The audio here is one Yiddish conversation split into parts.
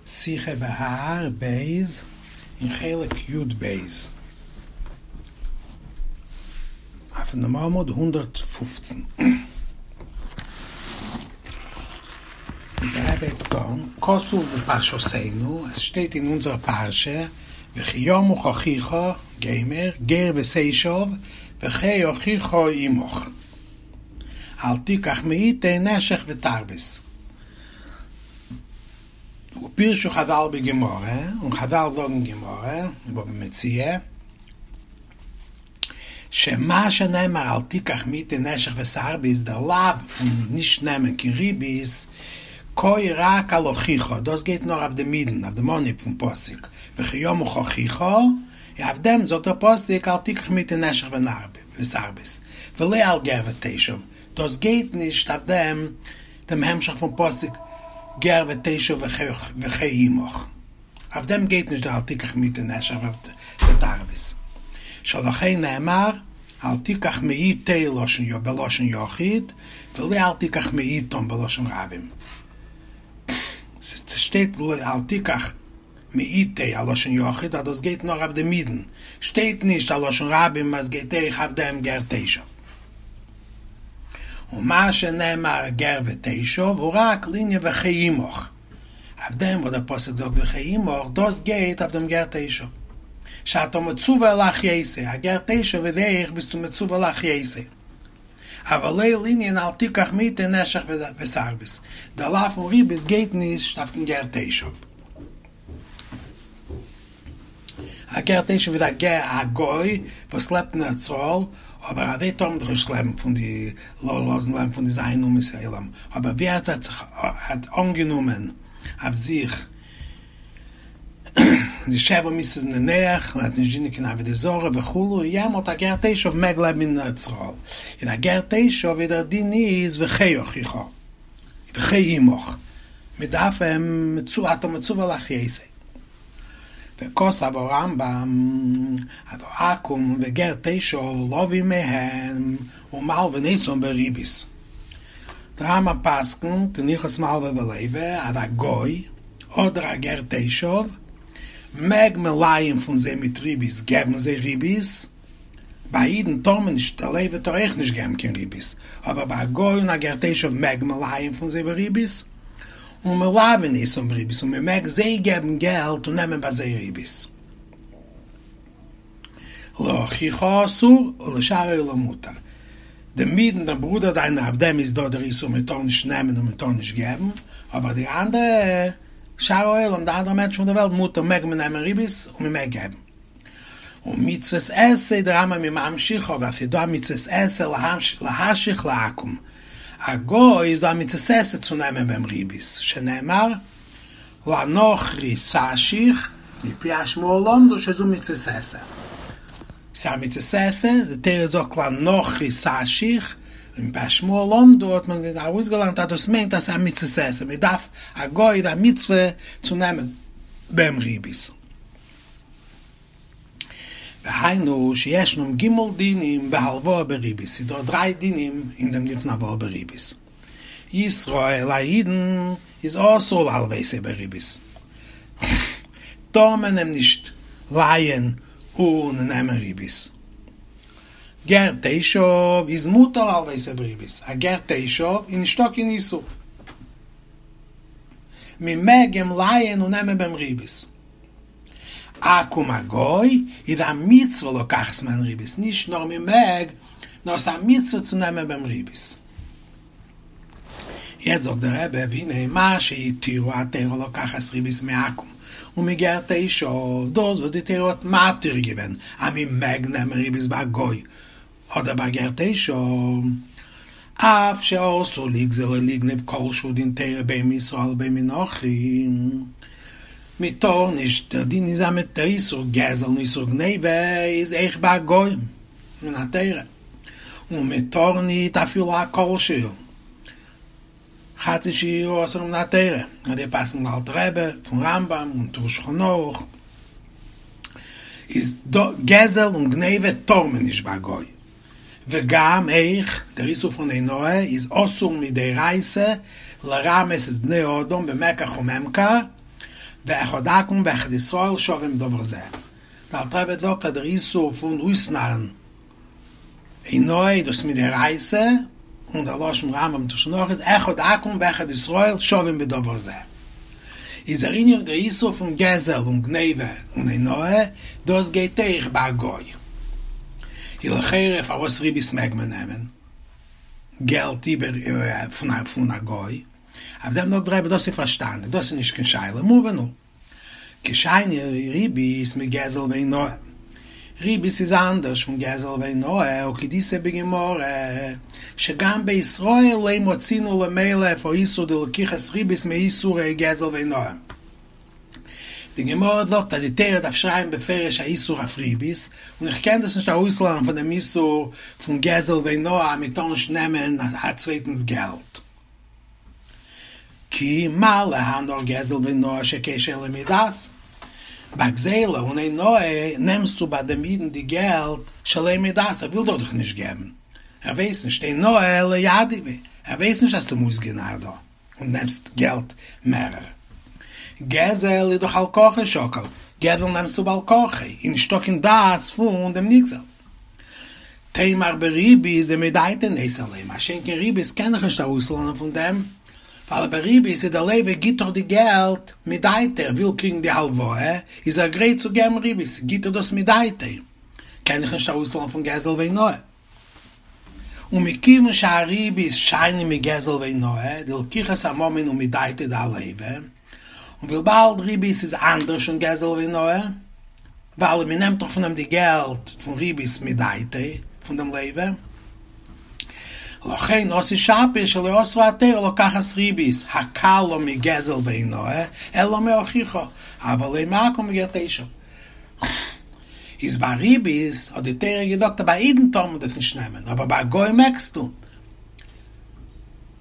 שיחה בהר ב אין חלק י ב, אויפן דעם עמוד 115. דער רבי הייבט אן, כתוב בפרשתנו, עס שטייט אין אונזער פרשה, וכי ימוך אחיך, גומר, גר ותושב, וחי אחיך עמך. אל תיקח מאיתו נשך ותרבית. ופירשו חזל בגמרא, און חזל זאגן גמרא, אין בבא מציעא, שמה שנאמר אל תיקח מאיתו נשך ותרבית, דער לאו פון נישט נעמען קיין ריבית, קאי רק על אחיך, דאס גייט נאר אויף דעם אידן, אויף דעם אנהייב פון פסוק, וכי ימוך אחיך, און אויף דעם זאגט דער פסוק אל תיקח מאיתו נשך ותרבית, ולא על גר ותושב, דאס גייט נישט אויף דעם דעם המשך פון פסוק גר ותושב וחי עמך, אויף דעם גייט נישט דער אל תיקח מאיתו נשך ותרבית, שלכן נאמר אל תיקח מאיתו בלשון יחיד ולא אל תיקח מאיתם בלשון רבים, ס'שטייט אל תיקח מאיתו א לשון יחיד אז דאס גייט נאר אויף דעם אידן, שטייט נישט א לשון רבים אז גייט אויך אויף דעם גר תושב. ומה שנאמר גר ותושב הוא רק לענין וחי עמך, אויף דעם וואס דער פסוק זאגט וחי עמך, דאס גייט אויף דעם גר תושב. שאתה מצווה להחיותו, א גר תושב איז אויך ביסטו מצווה להחיותו. אבל לא לענין אל תיקח מאיתו נשך ותרבית, דער לאו פון ריבית גייט נישט אויף דעם גר תושב. א גר תושב איז א גר א גוי וואס לעבט אין ארץ ישראל, אבער אזוי טאר מען דאך נישט לעבן פון די לא לאזן לעבן פון די ז' אומות העולם, אבער ווי ער האט זיך האט אנגענומען אויף זיך די שבע מצוות בני נח, און האט נישט דינען קיין עבודה זרה וכו', יעמאלט א גר תושב מעג לעבן אין ארץ ישראל, און א גר תושב ווי דער דין איז וחי אחיך וחי עמך, מען דארף אים אתה מצווה להחיותו. וכתב הרמב ם אז העכו"ם וגר תושב לווים מהם ומלווין אותם בריבית. דער רמב ם פסק'נט אין הלכות מלווה ולווה אז א גוי אדער א גר תושב מעג מען לייען פון זיי מיט ריבית, געבן זיי ריבית, ביי אידן טאר מען נישט, דער לווה טאר אויך נישט געבן קיין ריבית, אבער ביי א גוי און א גר תושב מעג מען לייען פון זיי בריבית, ומלווין אותם בריבית און מען מעג זיי געבן געלט און נעמען ביי זיי ריבית. לאחיך אסור ולשאר העולם מותר. דעם אידן דעם ברודער דיינער אויף דעם איז דא דער איסור מען טאר נישט נעמען און מען טאר נישט געבן, אבער די אנדערע שאר העולם די אנדערע מענטשן פון דער וועלט מותר מעג מען נעמען ריבית און מען מעג געבן. ומצוות עשה דער רמב ם איז ממשיך אבער ס'איז דא א מצוות עשה להשיך לעכו"ם א גוי איז דא א מצוות עשה צו נעמען ביי אים ריבית שנאמר לנכרי תשיך מפי השמועה למדו שזו מצוות עשה ס'איז א מצוות עשה די תורה זאגט לנכרי תשיך און מפי השמועה למדו האט מען ארויסגעלערנט אז דאס מיינט אז ס'איז א מצוות עשה מ'דארף א גוי איז א מצוה צו נעמען ביי אים ריבית. והיינו שישנם ג' דינים בהלוואה בריבית, ס'איז דא דריי דינים אין דעם דין פון הלוואה בריבית. ישראל א אידן איז אסור להלוותו בריבית, טאר מען אים נישט לייען און נעמען ריבית. גר תושב איז מותר להלוותו בריבית, א גר תושב איז נישטא קיין איסור, מען מעג אים לייען און נעמען ביי אים ריבית. עכו"ם א גוי איז א מצוה לקחת מהן ריבית, נישט נאר מען מעג, נאר ס'איז א מצוה צו נעמען ביי אים ריבית. יעצט זאגט דער רבי, והנה מה שהתירה התורה לקחת ריבית מעכו"ם ומגר תושב, דאס וואס די תורה האט מתיר געווען אז מען מעג נעמען ריבית ביי א גוי אדער ביי גר תושב, אף שאסור לגזול או לגנוב כל שהוא דין תורה בין מישראל בין מנכרי, מען טאר נישט, דער דין איז אז מיט דער איסור גזל און איסור גניבה איז אויך ביי א גוי מן התורה, און מען טאר ניט אפילו א כל שהוא, חצי שיעור אסור מן התורה, אזוי פסק'נט דער אלטער רבי פון רמב ם און טור שולחן ערוך, איז דא גזל און גניבה טאר מען נישט ביי א גוי, וגם אויך דער איסור פון אונאה איז אסור מדאורייתא לרמות את בני אדם במקח וממכר. ואחד עכו"ם ואחד ישראל שווים בדבר זה. דער אלטער רבי זאגט אז דער איסור פון אויסנארן אונאה איז דאס מדאורייתא, און דער לשון רמב"ם און שולחן ערוך איז אחד עכו"ם ואחד ישראל שווים בדבר זה. איז דער ענין דער איסור פון גזל און גניבה און אונאה, דאס גייט אויך ביי א גוי. איז לכאורה פארוואס ריבית מעג מען נעמען געלט איבער פון א גוי? אויף דעם זאגט דער רבי דאס איז פארשטאנדיג, דאס איז נישט קיין שאלה, מובן הוא. כי שאני ריבית מגזל ואונאה. ריבית איז אנדערש פון גזל ואונאה, וכדאיתא בגמרא, שגם בישראל לא מצינו למילף האיסור דלקיחת ריבית מאיסורי גזל ואונאה. די גמרא זאגט אז די תורה דארף שרייבן בפירוש א איסור אויף ריבית, און איך קען דאס נישט ארויסלערנען פון דעם איסור פון גזל ואונאה אז מען טאר נישט נעמען א צווייטנס געלט. כי מה להלן נאר גזל ואונאה שכן שלא מדעת. ביי גזילה און אונאה נעמסטו ביי דעם אידן די געלט שלא מדעת, ער וויל דאך נישט געבן, ער ווייסט נישט, אונאה לא ידעי ביה, ער ווייסט נישט אז האסט אים אויסגענארט דא און נעמסט געלט מערער. גזל איז דאך על כרחו שקיל, גזל נעמסטו בעל כרחו, איז נישטא קיין דעת פון דעם נגזל. תימר בריבית דמדעתיה נותן ליה, מה שאין כן ריבית קען איך נישט ארויסלערנען פון דעם, ווייל ביי ריבית איז דער לוה גיט דאך די געלט מדעתיה, ער וויל קריגן די הלוואה, איז ער גרייט צו געבן ריבית, גיט ער דאס מדעתיה, קען איך נישט ארויסלערנען פון גזל ואונאה. ומכיוון שהריבית שאני מגזל ואונאה, דלקיחת הממון הוא מדעתיה דהלוה, און וויבאלד ריבית איז אנדערש פון גזל ואונאה, ווייל מען נעמט דאך פון אים די געלט פון ריבית מדעתיה פון דעם לוה, לכן אתי שפיר שלא אסרה התורה לקחת ריבית הקלה מגזל ואונאה אלא מאחיך, אבל לא מעכו"ם וגר תושב. איז ביי ריבית האט די תורה געזאגט אז ביי אידן טאר מען דאס נישט נעמען, אבער ביי א גוי מעגסטו.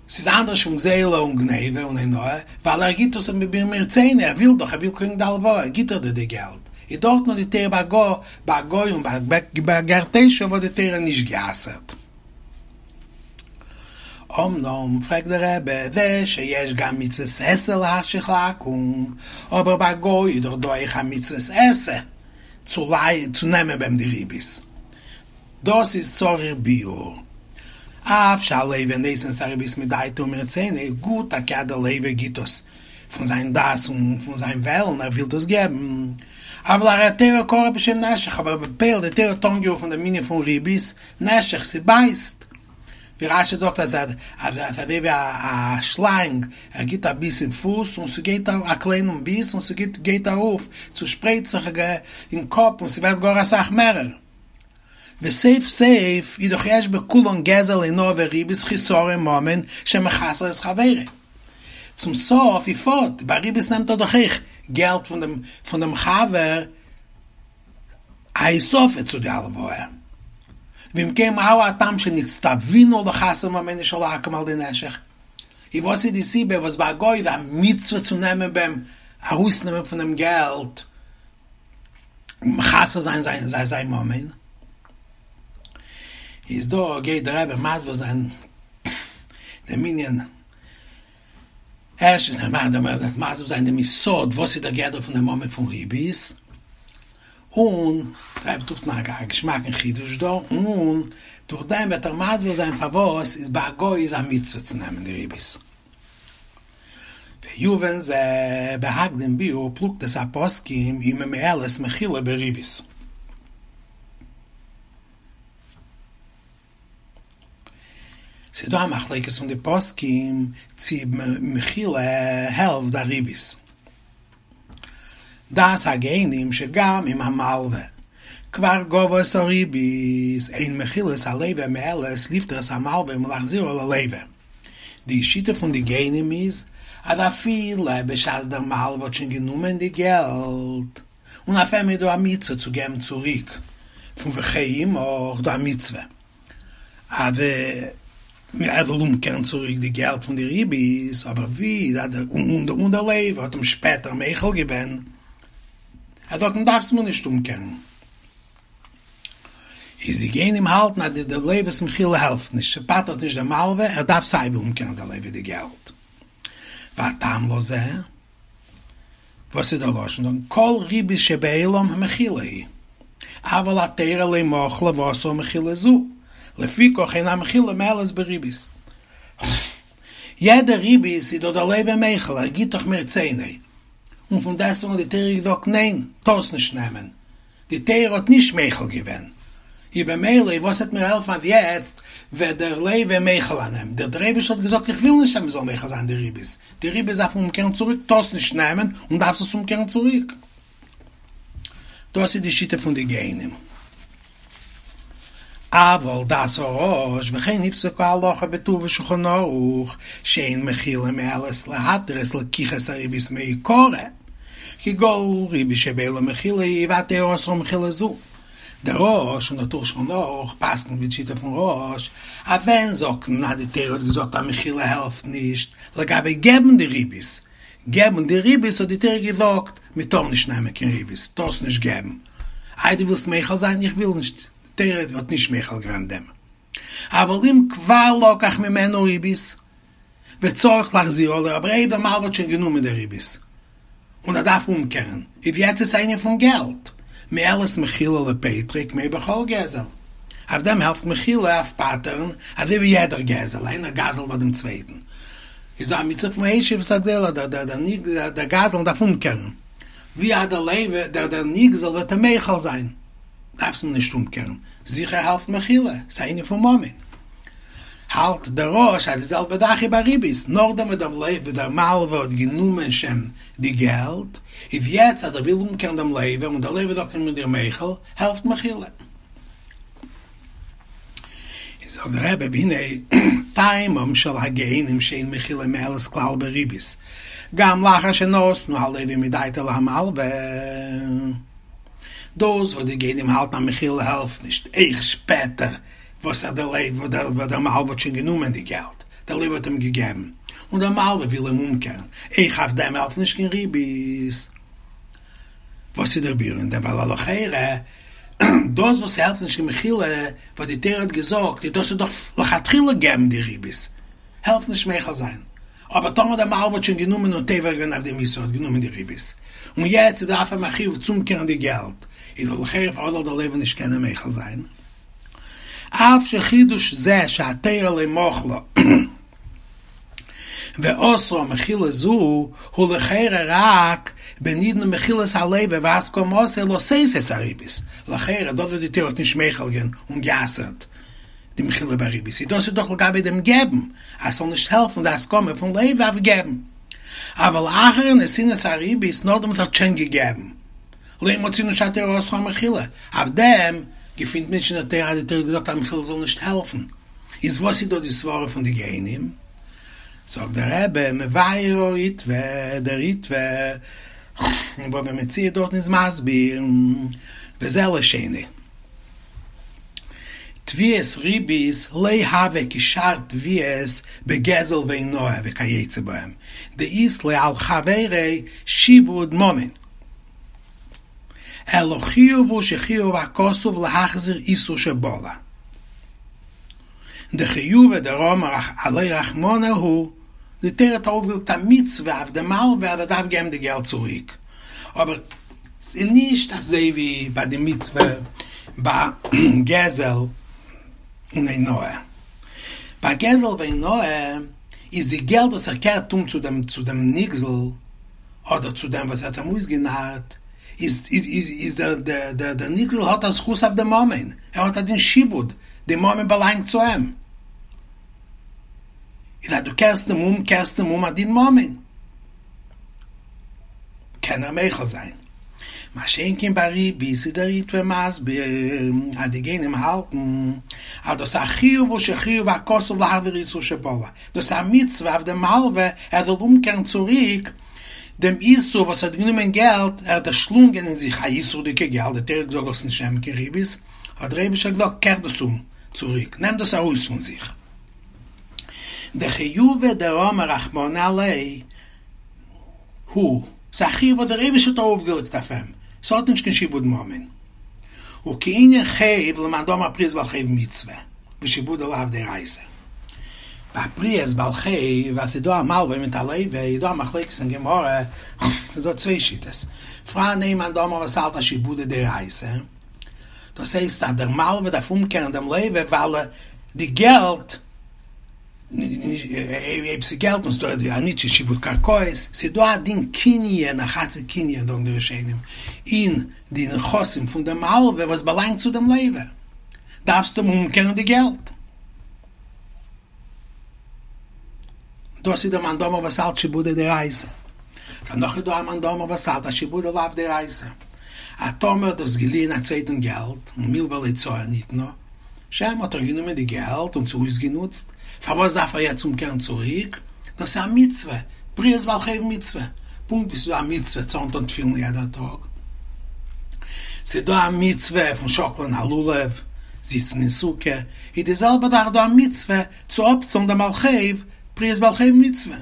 ס'איז אנדערש פון גזילה און גניבה און אונאה, ווייל ער גיט עס מרצונו, ער וויל דאך, ער וויל קריגן די הלוואה, גיט ער דיר די געלט. איז דארטן האט די תורה ביי גוי, ביי א גוי און ביי גר תושב האט די תורה נישט גע'אסר'ט. אמנם, פרעגט דער רבי, זה שיש גם מצוות עשה להחשיך לעכו"ם, אבער ביי א גוי איז דאך דא אויך א מצוות עשה צו צו נעמען ביי אים די ריבית. דאס איז צריך ביאור. אף שהלוה נותן את הריבית מדעתו ומרצונו, גוט טאקע אז דער לוה גיט דאס פון זיין דעת און פון זיין וועלן, ער וויל דאס געבן, אבל הרי התורה קראה בשם נשך, אבער בפועל די תורה האט אנגערופן דעם ענין פון ריבית, נשך, ס'בייסט. ווי רש"י זאגט אז אז אזוי ווי א שלאנג, ער גיט א ביס אין פוס און ס'גייט א קליינעם ביס און ס'גיט גייט ארויף, צושפרייט זיך אין קאפ און ס'ווערט גאר אסאך מערער. וסוף סוף איז דאך יש בכולן גזל אונאה וריבית חיסרון ממון שמחסר את חברו. צום סוף איז פארט, ביי ריבית נעמט ער דאך אויך געלט פון דעם פון דעם חבר א הוספה צו די הלוואה. ואם כן מהו הטעם שנצטווינו לחסר ממונו של העכו"ם על ידי נשך? איז וואס איז די סיבה וואס ביי א גוי איז א מצוה צו נעמען ביי אים ארויסנעמען פון אים געלט מחסר זיין זיין זיין זיין ממון? איז דא גייט דער רבי מסביר זיין דעם ענין, ערשטנס ער מאכט דעם ער מסביר זיין דעם יסוד וואס איז דער גדר פון דעם ממון פון ריבית, און דער רבי טוט נאך א געשמאקן חידוש דא, און דורך דעם וועט ער מסביר זיין פארוואס איז ביי א גוי איז א מצוה צו נעמען די ריבית. ויובן זה בהקדים ביאור פלוגתת הפוסקים אם ממועלת מחילה בריבית. ס'איז דא א מחלוקת פון די פוסקים צי מחילה העלפט די ריבית. דעת הגאונים שגם אם המלווה כבר גבה את הריבית אין מחילת הלווה מועלת לפטור את המלווה מלהחזירה ללווה. די שיטה פון די גאונים איז אז אפילו בשעת דער מלווה האט שוין גענומען די געלט און אויף אים איז דא א מצוה צו געבן צוריק פון וחי עמך דא א מצוה אז ער זאל אומקערן צוריק די געלט פון די ריבית, אבער ווי און דער לווה האט אים שפעטער מוחל געווען, ער זאגט אים דארפסט מיר נישט אומקערן. איז די גאונים האלטן אז די לווה'ס מחילה העלפט נישט, ס'פטר'ט נישט דעם מלווה, ער דארף סייווי אומקערן די לווה די געלט. והטעם לזה. וואס איז דער לשון? זאגן כל ריבית שבעולם מחילה היא, אבל התורה לא מחלה ואסרה מחילה זו, לפיכך אין המחילה מועלת בריבית. יעדע ריבית איז דאך דער לוה מוחל, ער גיט דאך מרצונו, און פון דעסטוועגן האט די תורה געזאגט ניין, טארסט נישט נעמען, די תורה האט נישט מוחל געווען, איז במילא וואס וועט מיר העלפן אז יעצט וועט דער לוה מוחל זיין, דער דער אייבערשטער האט געזאגט איך וויל נישט אז מען זאל מוחל זיין די ריבית, די ריבית דארף מען אומקערן צוריק, טארסט נישט נעמען און דארפסט עס אומקערן צוריק. דאס איז די שיטה פון די גאונים. אבל דעת הרא"ש וכן נפסקה הלכה בטור ושולחן ערוך שאין מחילה מועלת להתיר את לקיחת הריבית מעיקרא כי כל ריבית שבעולם מחילה היא והתורה אסרה מחילה זו. דער רא"ש און דער טור שולחן ערוך פסק'נט ווי די שיטה פון רא"ש אז ווען זאגט מען אז די תורה האט געזאגט אז מחילה העלפט נישט לגבי געבן די ריבית, געבן די ריבית האט די תורה געזאגט מען טאר נישט נעמען קיין ריבית, טארסט נישט געבן, איי דו ווילסט מוחל זיין? איך וויל נישט, די תורה האט נישט מוחל געווען דעם, אבל אם כבר לקח ממנו ריבית וצריך להחזירה לו, אבער אויב דער מלווה האט שוין גענומען די ריבית און ער דארף אומקערן, איז יעצט איז א ענין פון געלט, מועלת מחילה לפוטרו כמו בכל גזל, אויף דעם העלפט מחילה אויף פטר'ן, אזוי ווי יעדער גזל, איינער גזל'ט ביי דעם צווייטן, איז דא א מצוה פון השיב את הגזול, דער גזלן דארף אומקערן, ווי אז דער לוה, דער נגזל וועט אים מוחל זיין, דארפסט אים נישט אומקערן, זיכער העלפט מחילה, ס'איז א ענין פון ממון. האלט דער רא"ש אז די זעלבע זאך איז ביי ריבית, נאכדעם וואס דער לוה דער מלווה האט גענומען שוין די געלט, איז יעצט אז ער וויל אומקערן דעם לוה און דער לוה זאגט איך בין דיר מוחל, העלפט מחילה. איז זאגט דער רבי והנה טעמם של הגאונים שאין מחילה מועלת כלל בריבית גם לאחר שנתנו הלווה מדעתו להמלווה. דאס וואס די גאונים האלטן אז מחילה העלפט נישט אויך שפעטער וואס ער דער לוה וואס דער מלווה האט שוין גענומען די געלט דער לוה האט אים געגעבן און דער מלווה וויל אים אומקערן אויך אויף דעם העלפט נישט קיין ריבית. וואס איז דער ביאור אין דעם ווייל לכאורה דאס וואס ס'העלפט נישט קיין מחילה וואס די תורה האט געזאגט איז דאס איז דאך לכתחילה געבן די ריבית העלפט נישט מוחל זיין אבער טאמער דער מלווה האט שוין גענומען און עובר געווען אויף דעם איסור האט גענומען די ריבית און יעצט איז דא אויף אים א חיוב צו אומקערן די געלט איז דאך לכאורה פארוואס זאל דער לוה נישט קענען מוחל זיין אף שחידוש זה שהתורה לא מחלה ואסרה מחילה זו הוא לכאורה רק בנידון מחילת הלוה והסכמתו לשאת את הריבית, לכאורה דאס וואס די תורה האט נישט מוחל געווען און גע'אסר'ט די מחילה בריבית איז דאס איז דאך לגבי דעם געבן אז ס'זאל נישט העלפן די הסכמה פון לוה אויף געבן, אבל אחר נתינת הריבית נאכדעם וואס ער האט שוין געגעבן לא מצינו שהתורה אסרה מחילה, אויף דעם געפינט מען נישט אין די תורה אז די תורה האט געזאגט אז מחילה זאל נישט העלפן. איז וואס איז דא די סברה פון די גאונים? זאגט דער רבי מבאר הריטב"א, דער ריטב"א אין בבא מציעא דארטן איז מסביר, וזה לשונו, תביעת ריבית לא הוה כשאר תביעות בגזל ואונאה וכיוצא בהם, דאית ליה על חבריה שעבוד ממון, אלא חיוב הוא שחייב הכתוב להחזיר איסור שבלע. דחיובא דרמי עליה רחמנא הוא, די תורה האט ארויפגעלייגט א מצוה אויף די מלווה אז ער דארף געבן די געלט צוריק, אבער ס'איז נישט אזוי ווי ביי די מצוה ביי גזל און אונאה. ביי גזל ואונאה איז די געלט וואס ער קערט אום צו דעם צו דעם נגזל אדער צו דעם וואס האט אים אויסגענארט, איז איז דער דער דער נגזל האט א זכות אויף די ממון, ער האט א דין שעבוד, די ממון באלאנגט צו אים. איז אז דו קערסט אים אום, קערסט אים אום א דין ממון, קען ער מוחל זיין. מה שאין כן ביי ריבית איז דער ריטב"א מסביר אז די גאונים האלטן אז דאס א חיוב הוא שחייב הכתוב להחזיר איסור שבלע, דאס איז א מצוה אויף דעם מלווה ער זאל אומקערן צוריק דעם איסור וואס ער האט גענומען געלט, ער האט דערשלונגען אין זיך א איסור'דיגע געלט, די תורה האט געזאגט זאלסט נישט נעמען קיין ריבית, האט דער אייבישטער געזאגט קער דאס אום צוריק, נעם דאס ארויס פון זיך. דחיובא דרמי רחמנא עליה הוא, ס'איז א חיוב וואס דער אייבישטער האט ארויפגעלייגט אויף אים, ס'האט נישט קיין שעבוד ממון. וכענין חוב למאן דאמר פריעת בעל חוב מצוה, ושעבודא לאו דאורייתא. ביי פריעת בעל חוב אז ס'איז דא א מלווה מיט א לווה איז דא א מחלוקת אין גמרא, ס'איז דא צוויי שיטות, פאראן איין מאן דאמר וואס האלט אז שעבודא דאורייתא, דאס הייסט אז דער מלווה דארף אומקערן דעם לווה ווייל די געלט, אויב ס'איז געלט און ס'איז דא א נישט שעבוד קרקעות, ס'איז דא א דין קנין, א חצי קנין זאגן די ראשונים, אין די נכסים פון דעם מלווה וואס באלאנגט צו דעם לווה, דארפסטו אים אומקערן די געלט. דאס איז דער מאן דאמר וואס האלט שעבודא דאורייתא. דערנאך איז דא א מאן דאמר וואס האלט אז שעבודא לאו דאורייתא. אז טאמער דו האסט געליען א צווייטן געלט און מלוה להוצאה ניתנה, שוין האט ער גענומען די געלט און עס אויסגענוצט, פארוואס דארף ער יעצט אומקערן צוריק? דאס איז א מצוה, פריעת בעל חוב מצוה, פונקט ווי ס'איז דא א מצוה צו אנטון תפילין יעדער טאג, ס'איז דא א מצוה פון שאקלען א לולב, זיצן אין סוכה, איז די זעלבע זאך דא א מצוה צו אפצאלן דעם בעל חוב, פריעת בעל חוב מצוה.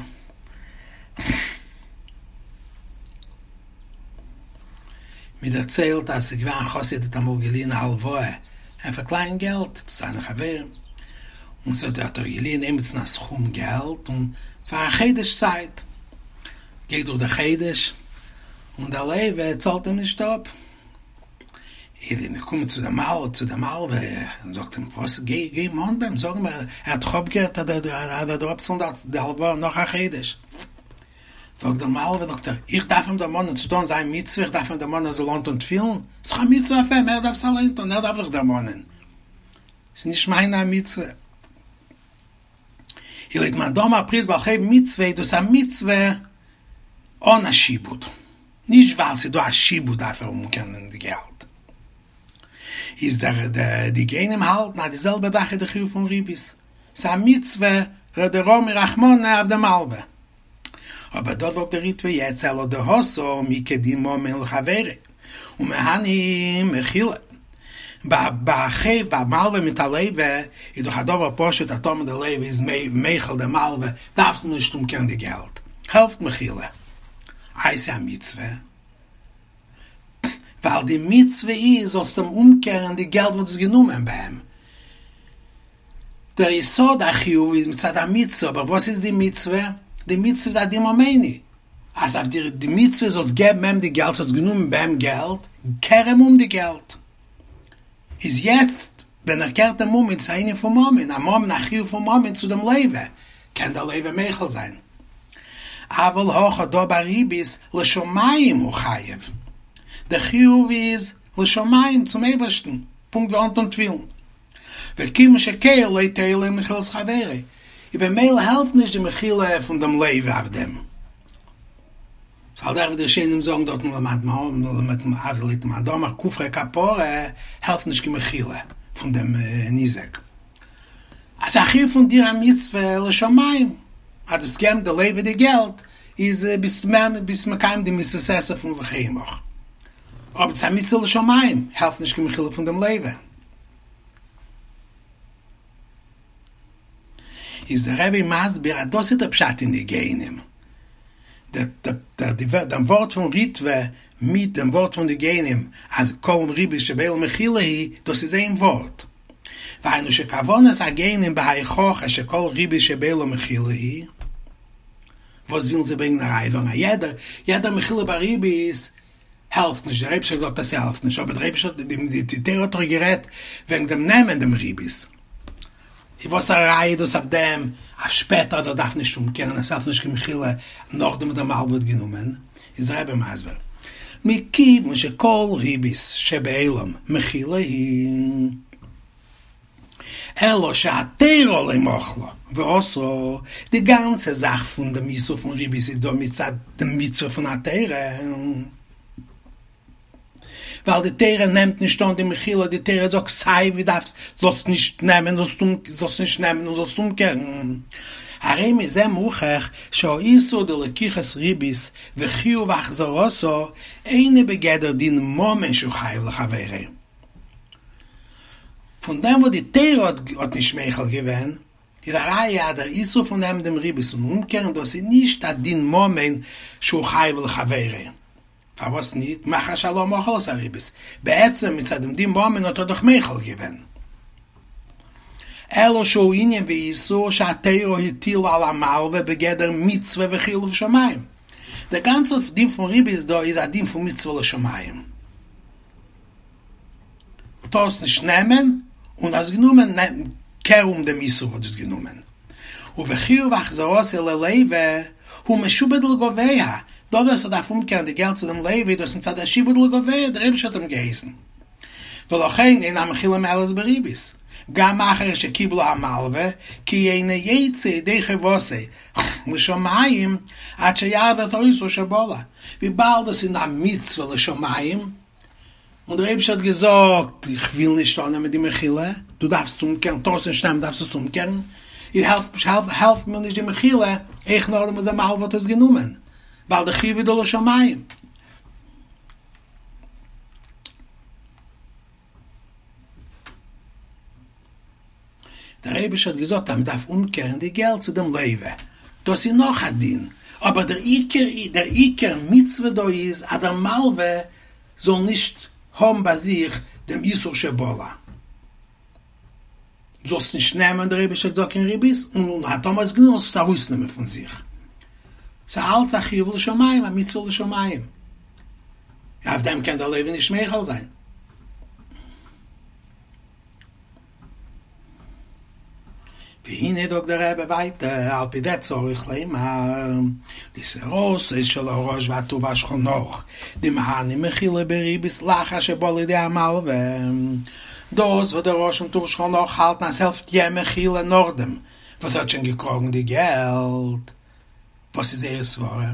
מען דערציילט אז ס'איז געווען א חסיד האט אמאל געליען א הלוואה פאר קליין געלט צו זיינע חברים, און ס'האט האט ער געליען עמיצן א סכום געלט און פאר א חודש צייט, גייט דורך דער חודש און דער לווה צאלט אים נישט אפ, איז ער געקומען צו דעם מלווה צו דעם מלווה און זאגט אים וואס גיי גיי מאן ביי אים זאג אים ער האט דאך אפגערעדט אז ער וועט דיר אפצאלן די הלוואה נאך א חודש. זאגט דער מלווה, זאגט ער, איך דארף אים דערמאנען צו טון זיין מצוה, איך דארף אים דערמאנען ער זאל אנטון תפילין? ס'איז דאך א מצוה אויף אים, ער דארף עס אליין טון, ער דארף זיך דערמאנען, ס'איז נישט מיינע א מצוה. איז לויט מאן דאמר פריעת בעל חוב מצוה, איז דאס א מצוה אן א שעבוד, נישט ווייל ס'איז דא א שעבוד דארף ער אומקערן די געלט. איז דער די גאונים האלטן אז די זעלבע זאך איז די חיוב פון ריבית, ס'איז א מצוה דרמי רחמנא אויף די מלווה. אבער דא זאגט דער ריטב"א יעצט אלא דהתם איכא דין ממון לחבירו ומהני מחילה. ביי א חוב ביי א מלווה מיט א לווה איז דאך א דבר פשוט אז טאמער די לווה איז מוחל די מלווה דארפסטו נישט אומקערן די געלט, העלפט מחילה. איי ס'איז א מצוה? ווייל די מצוה איז זאלסט אים אומקערן די געלט וואס דו האסט גענומען ביי אים. דער יסוד החיוב איז מצד המצוה, אבער וואס איז די מצוה? די מצוה איז א דין ממוני, אז אויף דיר די מצוה זאלסט געבן אים די געלט, האסט גענומען ביי אים געלט, קער אים אום די געלט. איז יעצט ווען ער קערט אים אום איז עס א ענין פון ממון, א ממון א חיוב פון ממון צו דעם לווה, קען דער לווה מוחל זיין. אבל הכא דא ביי ריבית לשמים הוא חייב, דער חיוב איז לשמים צום אייבערשטן, פונקט ווי אנטון תפילין. וכיוון שכן לא תועיל לו מחילת חברו, איז במילא העלפט נישט די מחילה פון דעם לווה אויף דעם. ס'איז על דרך ווי די ראשונים זאגן דארטן לויט מאן דאמר כופרא כפרה העלפט נישט קיין מחילה פון דעם ניזק. אז א חיוב פון דיר א מצוה לשמים, אז דו וועסט געבן די לווה די געלט איז ביסט ביסט מקיים די מצוות עשה פון וחי עמך. אבער ס'איז א מצוה לשמים העלפט נישט קיין מחילה פון דעם לווה. איז דער רבי מסביר אז דאס איז דער פשט אין די גאונים, דעם ווארט פון ריטב"א מיט דעם ווארט פון די גאונים אז כל ריבית שבעולם מחילה היא, דאס איז איין ווארט. והיינו שכוונת הגאונים בהוכחה שכל ריבית שבעולם מחילה היא, וואס ווילן זיי ברענגען א ראיה זאגן אז יעדער יעדער מחילה ביי ריבית העלפט נישט, דער אייבערשטער האט געזאגט אז ס'העלפט נישט, אבער דער אייבערשטער האט, די תורה האט דאך גערעדט וועגן דעם נעמען דעם ריבית, איז וואס א ראיה איז דאס אויף דעם אויף שפעטער אז ער דארף נישט אומקערן, עס העלפט נישט קיין מחילה נאכדעם וואס דער מלווה האט גענומען, איז דער רבי מסביר, מכיוון שכל ריבית שבעולם מחילה היא. אלא שהתורה לא מחלה ואסרה, די גאנצע זאך פון דעם איסור פון ריבית איז דא מצד די מצוה פון התורה, ווייל די תורה נעמט נישט אן די מחילה, די תורה זאגט סיי ווי דארפסט זאלסט נישט נעמען זאלסט נישט נעמען און זאלסט אומקערן, הרי מזה מוכח שהאיסור דלקיחת ריבית וחיוב החזרתה אינו בגדר דין ממון שהוא חייב לחבירו. פון דעם וואס די תורה האט נישט מוחל געווען, איז א ראיה אז דער איסור פון נעמען דעם ריבית און אומקערן דאס איז נישט א דין ממון שהוא חייב לחבירו. פארוואס ניט? מאחר שהלה מחל את הריבית. בעצם מצד דעם דין ממון האט ער דאך מוחל געווען. אלא שהוא ענין ואיסור שהתורה הטילה על המלווה בגדר מצוה וחיוב לשמים. דער גאנצער דין פון ריבית דא איז א דין פון מצוה לשמים. טארסט נישט נעמען, און האסט גענומען, קער אום דעם איסור וואס דו האסט גענומען. ובחיוב החזרתו ללווה הוא משועבד לגוביה, דאס וואס ער דארף אומקערן די געלט צו דעם לווה איז דאס מצד השעבוד לגוביה, דער אייבערשטער האט אים געהייסן. ולכן אין המחילה מועלת בריבית, גם אחר שקיבלה המלווה, כי אינו יוצא ידי חובתו לשמים עד שיחזיר את האיסור שבלע, וויבאלד דאס איז א מצוה לשמים, און דער אייבערשטער האט געזאגט, איך וויל נישט אננעמען די מחילה, דו דארפסט אומקערן, טארסט נישט נעמען, דארפסט עס אומקערן, איז העלפט מיר נישט די מחילה, אויך נאכדעם וואס דער מלווה האט עס גענומען, ווייל די חיוב איז דא לשמים. דער אייבערשטער האט געזאגט אז מען דארף אומקערן די געלט צו דעם לווה, דאס איז נאך א דין, אבער דער עיקר דער עיקר מצוה דא איז אז דער מלווה זאל נישט האבן ביי זיך דעם איסור שבלע. זאלסט נישט נעמען, דער אייבערשטער האט געזאגט קיין ריבית, און און טאמער האסט גענומען זאלסטו עס ארויסנעמען פון זיך. ס'איז אלץ א חיוב לשמים, א מצוה לשמים. אויף דעם קען דער לווה נישט מוחל זיין. והנה זאגט דער רבי ווייטער, על פי זה צריך לומר, די סברתו של הרא"ש והטור והשולחן ערוך, דמהני מחילה בריבית לאחר שבא לידי המלווה, דאס וואס דער רא"ש און טור שולחן ערוך האלטן אז ס'העלפט יא מחילה נאכדעם וואס ער האט שוין געקראגן די געלט, וואס איז זייער סברה?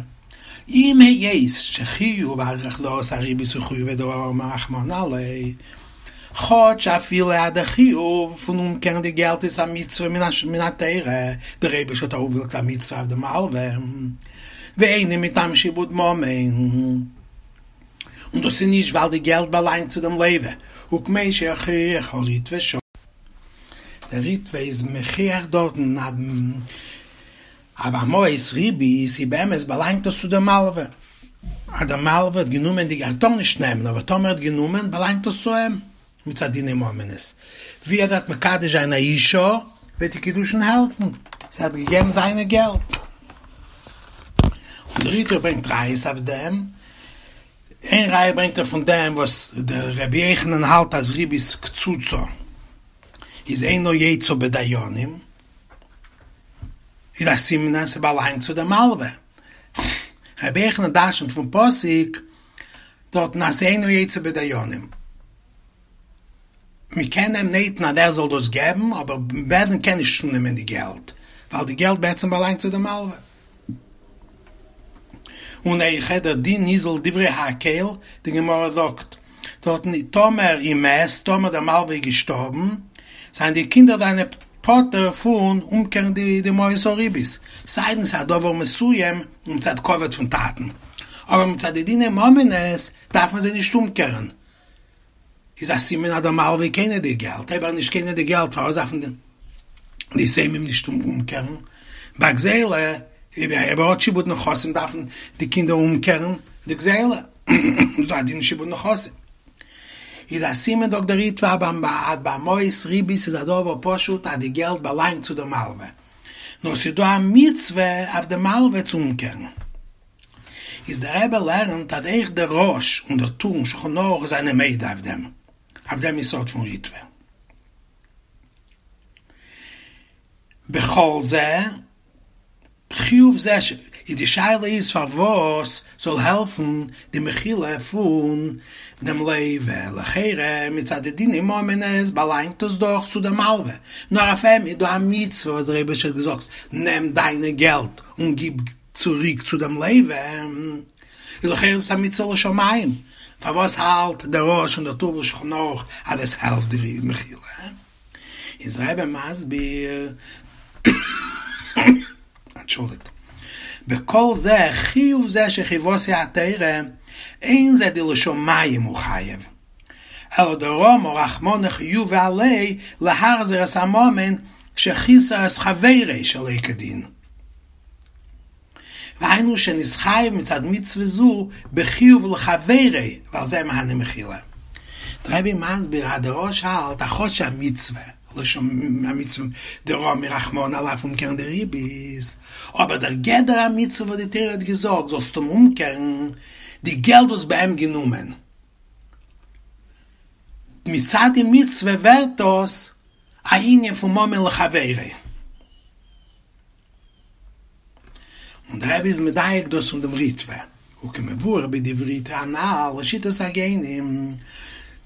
אם היות שחיוב החזרת הריבית הוא חיובא דאמר רחמנא עליה, כאטש אפילו אז דער חיוב פון אומקערן די געלט איז א מצוה מן התורה, דער אייבערשטער האט ארויפגעלייגט א מצוה אויף די מלווה, ואינו מטעם שעבוד ממון, און דאס איז נישט ווייל די געלט באלאנגט צו דעם לווה, וכמו שהוכיח הריטב"א שם. דער ריטב"א איז מוכיח דארטן אז ביי מעות ריבית איז באמת באלאנגט דאס צו דער מלווה, אז דער מלווה האט גענומען די, ער טאר נישט נעמען, אבער טאמער ער האט גענומען באלאנגט דאס צו אים, מצד דיני ממונות, ווי ער וועט מקדש זיין א אישה וועט די קידושין העלפן, ס'הייסט ער האט געגעבן זיינע געלט. און דער ריטב"א ברענגט ראיות אויף דעם, איין ראיה ברענגט ער פון דעם וואס דער רבי יוחנן האלט אז ריבית קצוצה איז אינו יוצא בדיינים, איז א סימן אז ס'באלאנגט צו די מלווה. רבי יוחנן דרשנ'ט פון פסוק דארטן אז ס'אינו יוצא בדיינים. מ'קען אים נויטן אז ער זאל דאס געבן, אבער בית דין קען נישט צונעמען די געלט, ווייל די געלט בעצם באלאנגט צו די מלווה. און אויכעט דער דין איז לדברי הכל, די גמרא זאגט דארטן טאמער אם מת, טאמער דער מלווה איז געשטארבן, זענען די קינדער זיינע פטור פון אומקערן די מעות הריבית, סיידן ס'איז א דבר מסוים מצד כבוד פון טאטן, אבער מצד די דיני ממונות דארף מען זיי נישט אומקערן, איז א סימן אז דער מלווה איז קונה די געלט, אויב ער איז נישט קונה די געלט פארוואס דארפן די יתומים נישט אומקערן? ביי גזילה, אויב ער האט שעבוד נכסים דארפן די קינדער אומקערן די גזילה, איז דא א דין שעבוד נכסים. איז א סימן זאגט דער ריטב"א אז ביי מעות ריבית איז א דבר פשוט אז די געלט באלאנגט צו די מלווה, נאר ס'איז דא א מצוה אויף די מלווה צו אומקערן. איז דער רבי לערנט אז אויך דער רא"ש און דער טור און שולחן ערוך זענען מודה אויף דעם, אויף דעם יסוד פון ריטב"א. בכל זה, חיוב זה ש, איז די שאלה איז פארוואס זאל העלפן די מחילה פון דעם לוה, לכאורה מצד די דיני ממונות באלאנגט עס דאך צו דעם מלווה, נאר אויף אים איז דא א מצוה וואס דער אייבערשטער האט געזאגט נעם דיינע געלט און גיב צוריק צו דעם לוה, איז לכאורה דאס א מצוה לשמים, פארוואס האלט דער רא"ש און דער טור ושולחן ערוך אז עס העלפט די מחילה? איז דער רבי מסביר, אנטשולדיגט, בכל זה חיוב זה שחייבתו התורה, אין זה דלשמים הוא חייב, אלא דרמא רחמנא חיובא עליה להחזיר את הממון שחיסר את חברו שלא כדין. והיינו שנתחייב מצד מצוה זו בחיוב לחבירו ועל זה מהני מחילה. דער רבי מסביר אז דער רא"ש האלט אז כאטש א מצוה. לשם א מצוה דרמי רחמנא עליה אויף אומקערן די ריבית, אבער דער גדר המצוה וואס די תורה האט געזאגט זאלסטו אים אומקערן די געלט וואס ביי אים גענומען מצד די מצוה ווערט דאס א ענין פון ממון לחבירו. און דער רבי איז מדייק דאס פון דעם ריטבא, וכמבואר בדברי ריטבא הנל לשיטת הגאונים,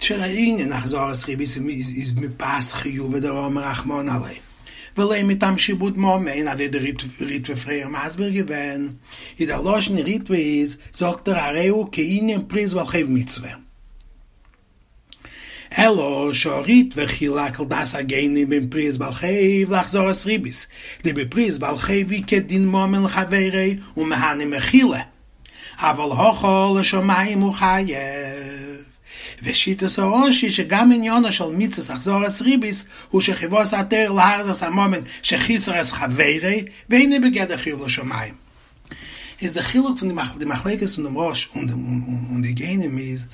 שענין החזרת ריבית איז מפאת חיובא דרמי רחמנא עליה, ולא מטעם שעבוד ממון, אזוי דער ריטבא פריער מסביר געווען, איז דער לשון ריטבא איז, זאגט ער הרי הוא כענין פריעת בעל חוב מצוה. אלא שהריטבא חילק לדעת הגאונים בין פריעת בעל חוב להחזרת ריבית, דבפריעת בעל חוב איכא דין ממון לחבירו ומהני מחילה, אבל הכא לשמים הוא חייב. ושיטת הרא"ש היא שגם עניינה של מצות החזרת ריבית הוא שחובת התורה להחזיר את הממון שחיסר את חברו ואינו בגדר חיוב לשמים. איז די חילוק פון די מחלוקת פון דעם רא"ש און די גאונים איז,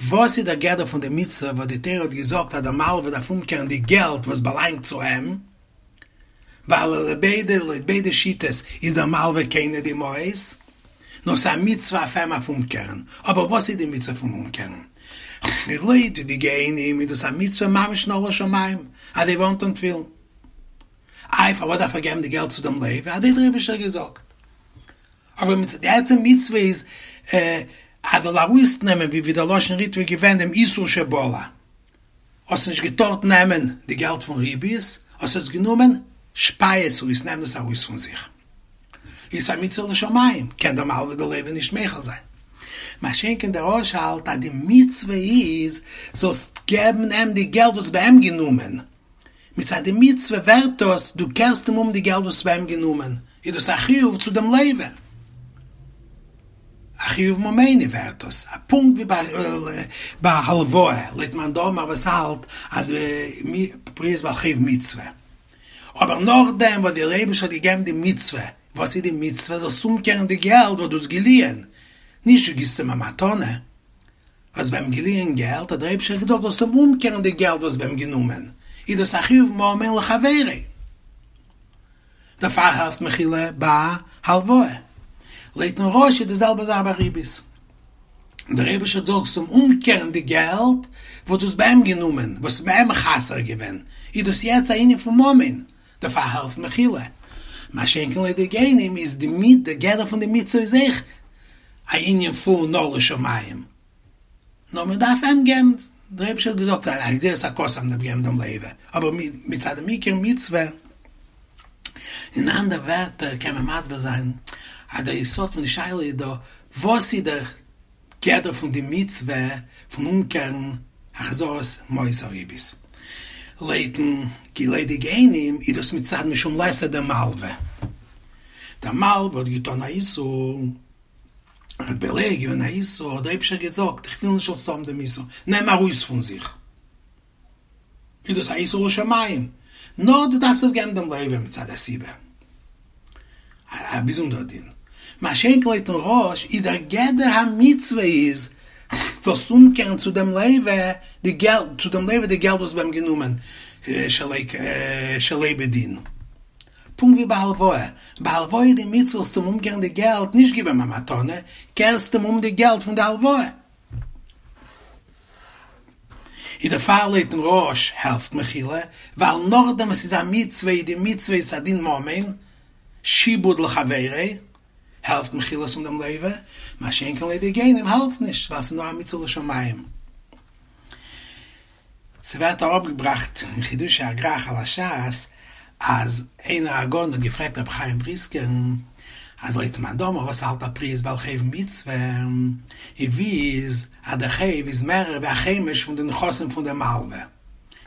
וואס איז דער גדר פון די מצוה וואס די תורה האט געזאגט אז דער מלווה דארף אומקערן די געלט וואס באלאנגט צו אים, ווייל לויט ביידע לויט ביידע שיטות איז דער מלווה קונה די מעות, נאר ס'איז א מצוה אויף אים אויף אומקערן, אבער וואס איז די מצוה פון אומקערן? לויט די גאונים איז דאס א מצוה ממש נאר לשמים, אזוי ווי אנטון תפילין. איי פארוואס דארף ער געבן די געלט צו דעם לוה? אזוי האט דער אייבישטער געזאגט. אבער די עצם מצוה איז אז זאל ארויסנעמען ווי ווי דער לשון ריטבא איז געווען דעם איסור שבלע. האסט נישט געטארט נעמען די געלט פון ריבית, האסט עס גענומען, שפיי עס אויס, נעם דאס ארויס פון זיך. איז א מצוה לשמים, קען דער מלווה דער לוה נישט מוחל זיין. מה שאין כן דער רא"ש האלט אז די מצוה איז זאלסט געבן אים די געלט וואס ביי אים גענומען. מצד די מצוה ווערט דאס, דו קערסט אים אום די געלט וואס ביי אים גענומען, איז דאס א חיוב צו דעם לוה, א חיוב ממוני ווערט דאס, פונקט ווי ביי הלוואה, לויט מאן דאמר וואס האלט אז פריעת בעל חוב מצוה, אבער נאכדעם וואס דער אייבערשטער האט געגעבן די מצוה, וואס איז די מצוה? זאלסט אומקערן די געלט וואס דו האסט געליען, נישט דו גיבסט אים א מתנה. האסט ביי אים געליען געלט, האט דער אייבישטער געזאגט זאלסט אים אומקערן די געלט וואס ביי אים גענומען, איז דאס א חיוב ממון לחבירו, דערפאר העלפט מחילה ביי הלוואה. לויטן רא"ש איז די זעלבע זאך ביי ריבית, דער אייבישטער זאגט זאלסט אים אומקערן די געלט וואס דו האסט ביי אים גענומען, וואס איז ביי אים חסר געווען, איז דאס יעצט א ענין פון ממון, דערפאר העלפט מחילה. מה שאין כן לויט די גאונים איז די די גדר פון די מצוה איז אויך א ענין פון נאר לשמים, נאר מען דארף אים געבן, דער אייבערשטער האט געזאגט א גזירת הכתוב אז מען דארף געבן דעם לוה, אבער מצד דעם עיקר מצוה, אין אנדערע ווערטער קען מען מסביר זיין אז דער יסוד פון די שאלה איז דא, וואס איז דער גדר פון די מצוה פון אומקערן החזרת מעות הריבית. לויטן לויט די גאונים איז דאס מצד משום ליסא דמלווה. דער מלווה האט געטון א איסור, ער האט בולע געווען א איסור, האט דער אייבישטער געזאגט איך וויל נישט זאלסט האבן דעם איסור, נעם ארויס פון זיך. איז דאס א איסור לשמים, נאר דו דארפסט עס געבן דעם לוה מצד הסיבה, א באזונדערע דין. מה שאין כן לויטן רא"ש איז דער גדר המצוה איז זאלסט אומקערן צו דעם לוה די געלט, צו דעם לוה די געלט וואס ביי אים גענומען שלא בדין. פונקט ווי ביי הלוואה, ביי הלוואה איז די מצוה זאלסט אים אומקערן די געלט, נישט גיב אים א מתנה, קערסט אים אום די געלט פון די הלוואה. איז דערפאר לויטן רא"ש העלפט מחילה, ווייל נאכדעם וואס ס'איז א מצוה איז די מצוה איז א דין ממון, שעבוד לחבירו, העלפט מחילה פון דעם לוה, מה שאין כן לויט די גאונים העלפט נישט, ווייל ס'איז נאר א מצוה לשמים. ס'ווערט אראפגעבראכט אין חידושי הגר"ח על הש"ס אז איינער א גאון האט געפרעגט רבי חיים בריסקער'ן אז לויט מאן דאמר וואס האלט אז פריעת בעל חוב מצוה און ווי איז אז דער חוב איז מערער ווי א חומש פון די נכסים פון דעם מלווה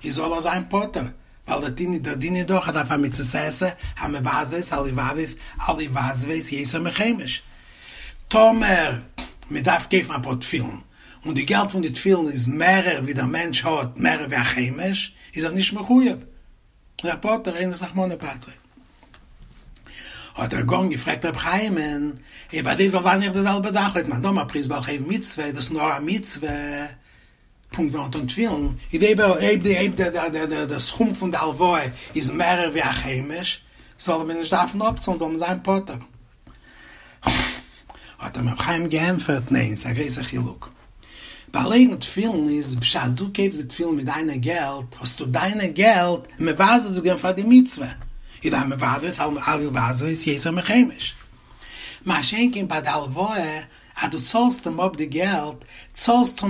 איז זאל ער זיין פטור ווייל דער דין דער דין איז דאך אז אויף א מצות עשה המבזבז אל יבזבז יותר מחומש טאמער מ'דארף קויפן אפאר תפילין און די געלט פון די תפילין איז מערער ווי דער מענטש האט, מערער ווי א חומש, איז ער נישט מחויב, איז ער פטור, אונס רחמנא פטריה. האט דער גאון געפרעגט רבי חיים'ן, אויב אזוי זאל זיין אויך די זעלבע זאך, לויט מאן דאמר פריעת בעל חוב מצוה, איז דאס נאר א מצוה? פונקט ווי אנטון תפילין, איז אויב אויב די אויב די די די די סכום פון די הלוואה איז מערער ווי א חומש, זאל מען נישט דארפן אפצאלן, זאל מען זיין פטור. האט אים רבי חיים געענטפערט, ניין, ס'איז א גרויסע חילוק. ביי לייגן תפילין איז בשעת דו קויפסט די תפילין מיט דיינע געלט, האסטו דיינע געלט מבזבז געווען פאר די מצוה, איז המבזבז על הבזבז יותר מחומש. מה שאין כן ביי די הלוואה, אז דו צאלסט אים אפ די געלט, צאלסטו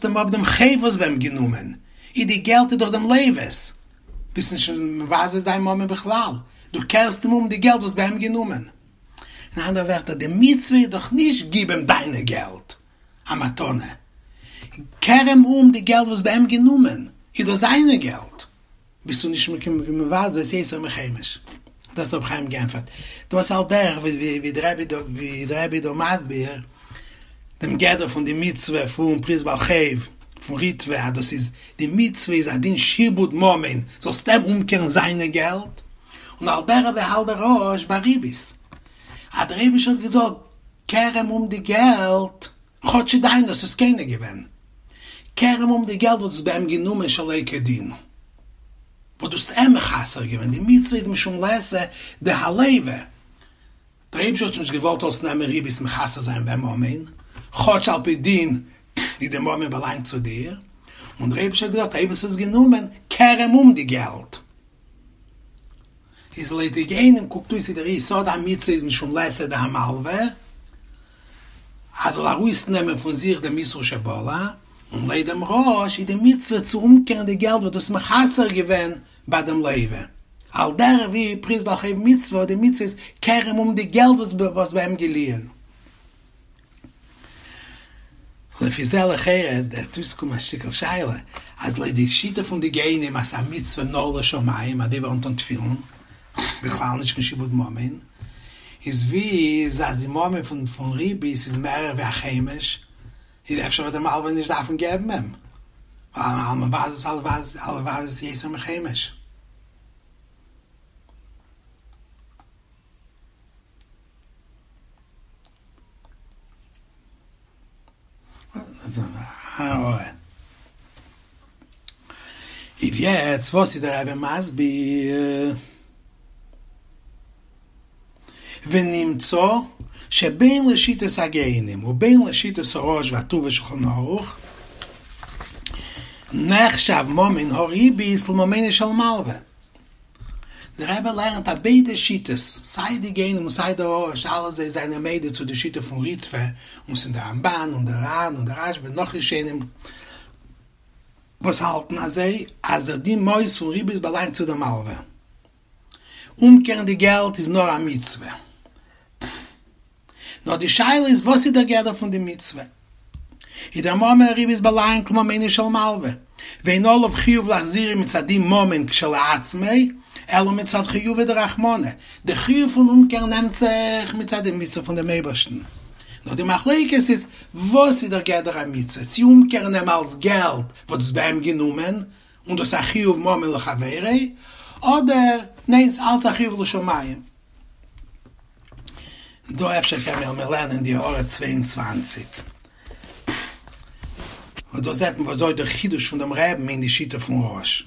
אים אפ דעם חוב וואס ביי אים גענומען, איז די געלט איז דאך דעם לוה'ס, ביסט נישט מבזבז דיין ממון בכלל, דו קערסט אים אום די געלט וואס ביי אים גענומען. אין אנדערע ווערטער, די מצוה איז דאך נישט גיב אים דיינע געלט א מתנה, קער אים אום די געלט וואס ביי אים גענומען, איז דאס זיינע געלט. ביסטו נישט מבזבז יותר מחומש. דאס האט רבי חיים געענטפערט. דאס על דרך ווי דער רבי דא ווי דער רבי איז דא מסביר דעם גדר פון די מצוה פון פריעת בעל חוב פון ריטב"א אז דאס איז די מצוה איז א דין שעבוד ממון זאלסט אים אומקערן זיינע געלט, און על דרך ווי האלט דער רא"ש ביי ריבית אז דער אייבישטער האט געזאגט קער אים אום די געלט כאטש ס'איז דיינע האסט עס קונה געווען, קער אים אום די געלט וואס דו האסט ביי אים גענומען שלא כדין, וואס דו האסט אים מחסר געווען, די מצוה איז משום לעשה דהלוה, דער אייבערשטער האט נישט געוואלט זאלסט נעמען ריבית מחסר זיין ביים ממון, כאטש על פי דין איז די ממון באלאנגט צו דיר, און דער אייבערשטער האט געזאגט אויב האסט עס גענומען, קער אים אום די געלט. איז לויט די גאונים קוקט אויס ווי דער יסוד המצוה איז משום לעשה דהמלווה, אז זאל ארויסנעמען פון זיך דעם איסור שבלע, און לויט דעם רא"ש איז די מצוה צו אומקערן די געלט וואס דו האסט מחסר געווען ביי דעם לוה, על דרך ווי פריעת בעל חוב מצוה, די מצוה איז קער אים אום די געלט וואס ביי אים געליען. לפי זה לכאורה וועט אויסקומען א שטיקל שאלה, אז לויט די שיטה פון די גאונים אז ס'איז א מצוה נאר לשמים אזוי ווי אנטון תפילין, בכלל נישט קיין שעבוד ממון, איז ווי איז אז די ממון פון ריבית איז מערער ווי א חומש, איז אפשר וועט דער מלווה נישט דארפן געבן אים, ווייל המבזבז על הבזבז יותר מחומש. איז יעצט וואס איז דער רבי מסביר? ונמצא שבין לשיטת הגאונים ובין לשיטת הרא"ש והטור ושולחן ערוך נחשב ממון הריבית לממונו של מלווה. דער רבי לערנט אז ביידע שיטות, סיי די גאונים און סיי דער רא"ש, אלע זיי זענען מודה צו די שיטה פון ריטב"א, און ס'איז דער רמב"ן און דער ר"ן און דער רשב"א און נאך ראשונים וואס האלטן אזוי, אז דער דין מהות פון ריבית באלאנגט צו דער מלווה. אומקערן די געלט איז נאר א מצוה. נאר די שאלה איז וואס איז דער גדר פון די מצוה? איז דער ממון הריבית באלאנגט לממונו של מלווה, ואין עליו חיוב להחזירו מצד דין ממון כשלעצמו, אלא מצד חיובא דרחמנא, די חיוב פון אומקערן נעמט זיך מצד די מצוה פון דעם אייבערשטן. נאר די מחלוקת איז וואס איז דער גדר המצוה, צי אומקערן אים אלס געלט וואס דו האסט ביי אים גענומען, און דאס איז א חיוב ממון לחבירו, אדער ניין ס'אלץ א חיוב לשמים. דא אפשר קען מען לערנען די הערה 22. און דא זעט מען וואזוי דער חידוש פון דעם רבי'ן אין די שיטה פון רא"ש.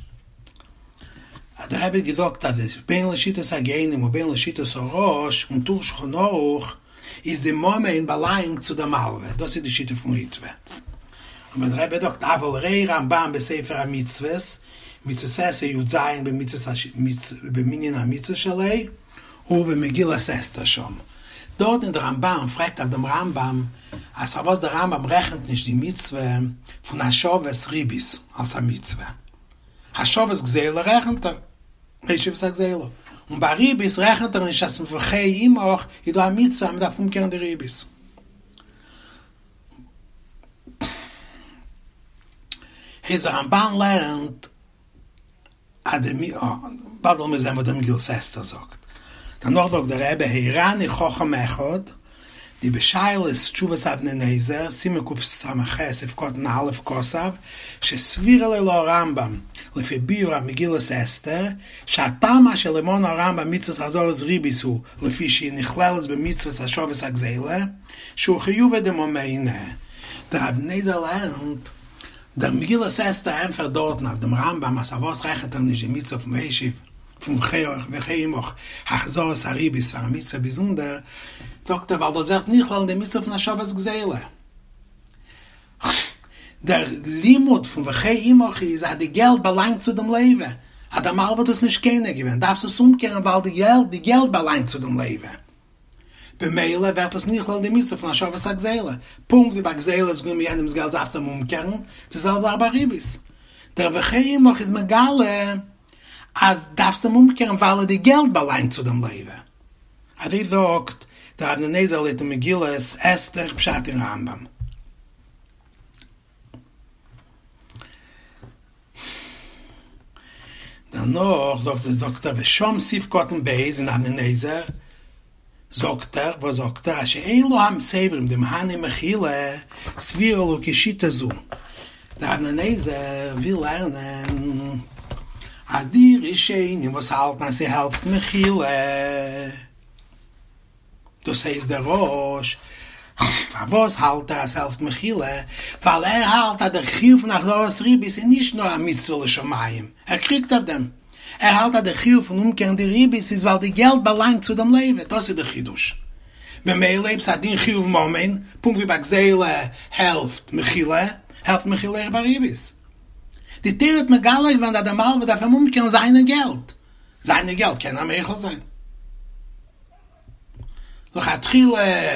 אז דער רבי האט געזאגט אז בין לשיטת הגאונים ובין לשיטת הרא"ש און טור שולחן ערוך איז די ממון באלאנגט צו דער מלווה, דאס איז די שיטה פון ריטב"א. אבער דער רבי זאגט אבל ראה רמב"ם בספר המצוות, מצות עשה י"ז במנין המצוות שלו, ובמגילת אסתר שם. דארט אין די רמב"ם פרעגט אויף דעם רמב"ם אז פארוואס דער רמב"ם רעכנט נישט די מצוה פון השבת ריבית אלס א מצוה. השבת גזילה רעכנט ער, משיב את הגזילה, און ביי ריבית רעכנט ער נישט אז וחי עמך איז דא א מצוה אז מ'דארף אומקערן די ריבית. איז דער רמב"ן לערנט אז די מ א, באלד וועלן מיר זען וואס דער מגילת אסתר זאגט. דערנאך זאגט דער רבי הראני חכם אחד, דבשאלות תשובות אבני נזר, סימן קס"ח סעיף קטן א', כתב, שסבירא ליה להרמב"ם, לפי ביאור המגילת אסתר, שהטעם אשר לא מנה הרמב"ם מצוות החזרת ריבית הוא לפי שהיא נכללת במצוות השבת הגזילה, שהוא חיובא דממונא. דער אבני נזר לערנט. דער מגילת אסתר ענטפערט דארטן אויף דעם רמב ם אז פארוואס רעכנט ער נישט די מצוה פון השיב פון וחי עמך החזרת הריבית פאר א מצוה באזונדער, זאגט ער ווייל דאס ווערט נכלל אין די מצוה פון השבת גזילה. דער לימוד פון וחי עמך איז אז די געלט באלאנגט צו דעם לוה, אז דער מלווה האט עס נישט קונה געווען דארפסט עס אומקערן ווייל די געלט באלאנגט צו דעם לוה. במילא ווערט עס נכלל אין די מצוה פון השבת הגזילה, פונקט ווי ביי גזילה האסט גענומען יענעמס געלט דארפסטו אים אומקערן, די זעלבע זאך ביי ריבית. דער וחי עמך איז מגלה אז דארפסט אים אומקערן ווייל די געלט באלאנגט צו דעם לוה. אזוי זאגט דער אבני נזר לויטן מגילת אסתר פשט אין רמב ם. דערנאך זאגט זאגט ער ושם סעיף קטן ב' אין אבני נזר זאגט ער וואס זאגט ער אז שאלו המסייבים דמהני מחילה סבירא להו כשיטה זו דער אבני נזר וויל לערנען אז די ראשונים וואס האלטן אז ס'העלפט מחילה דאס הייסט דער ראש, פארוואס האלט ער אז ס'העלפט מחילה? ווייל ער האלט אז דער חיוב פון החזרת ריבית איז נישט נאר א מצוה לשמים, ער קריגט אויף דעם, ער האלט אז דער חיוב פון אומקערן די ריבית איז ווייל די געלט באלאנגט צו דעם לוה, דאס איז דער חידוש. במילא אויב ס'איז א דין חיוב ממון, פונקט ווי ביי גזילה העלפט מחילה, העלפט מחילה אויך ביי ריבית. די תורה האט מגלה געווען אז דער מלווה דארף אים אומקערן זיינע געלט, זיינע געלט קען ער מוחל זיין. לכתחילה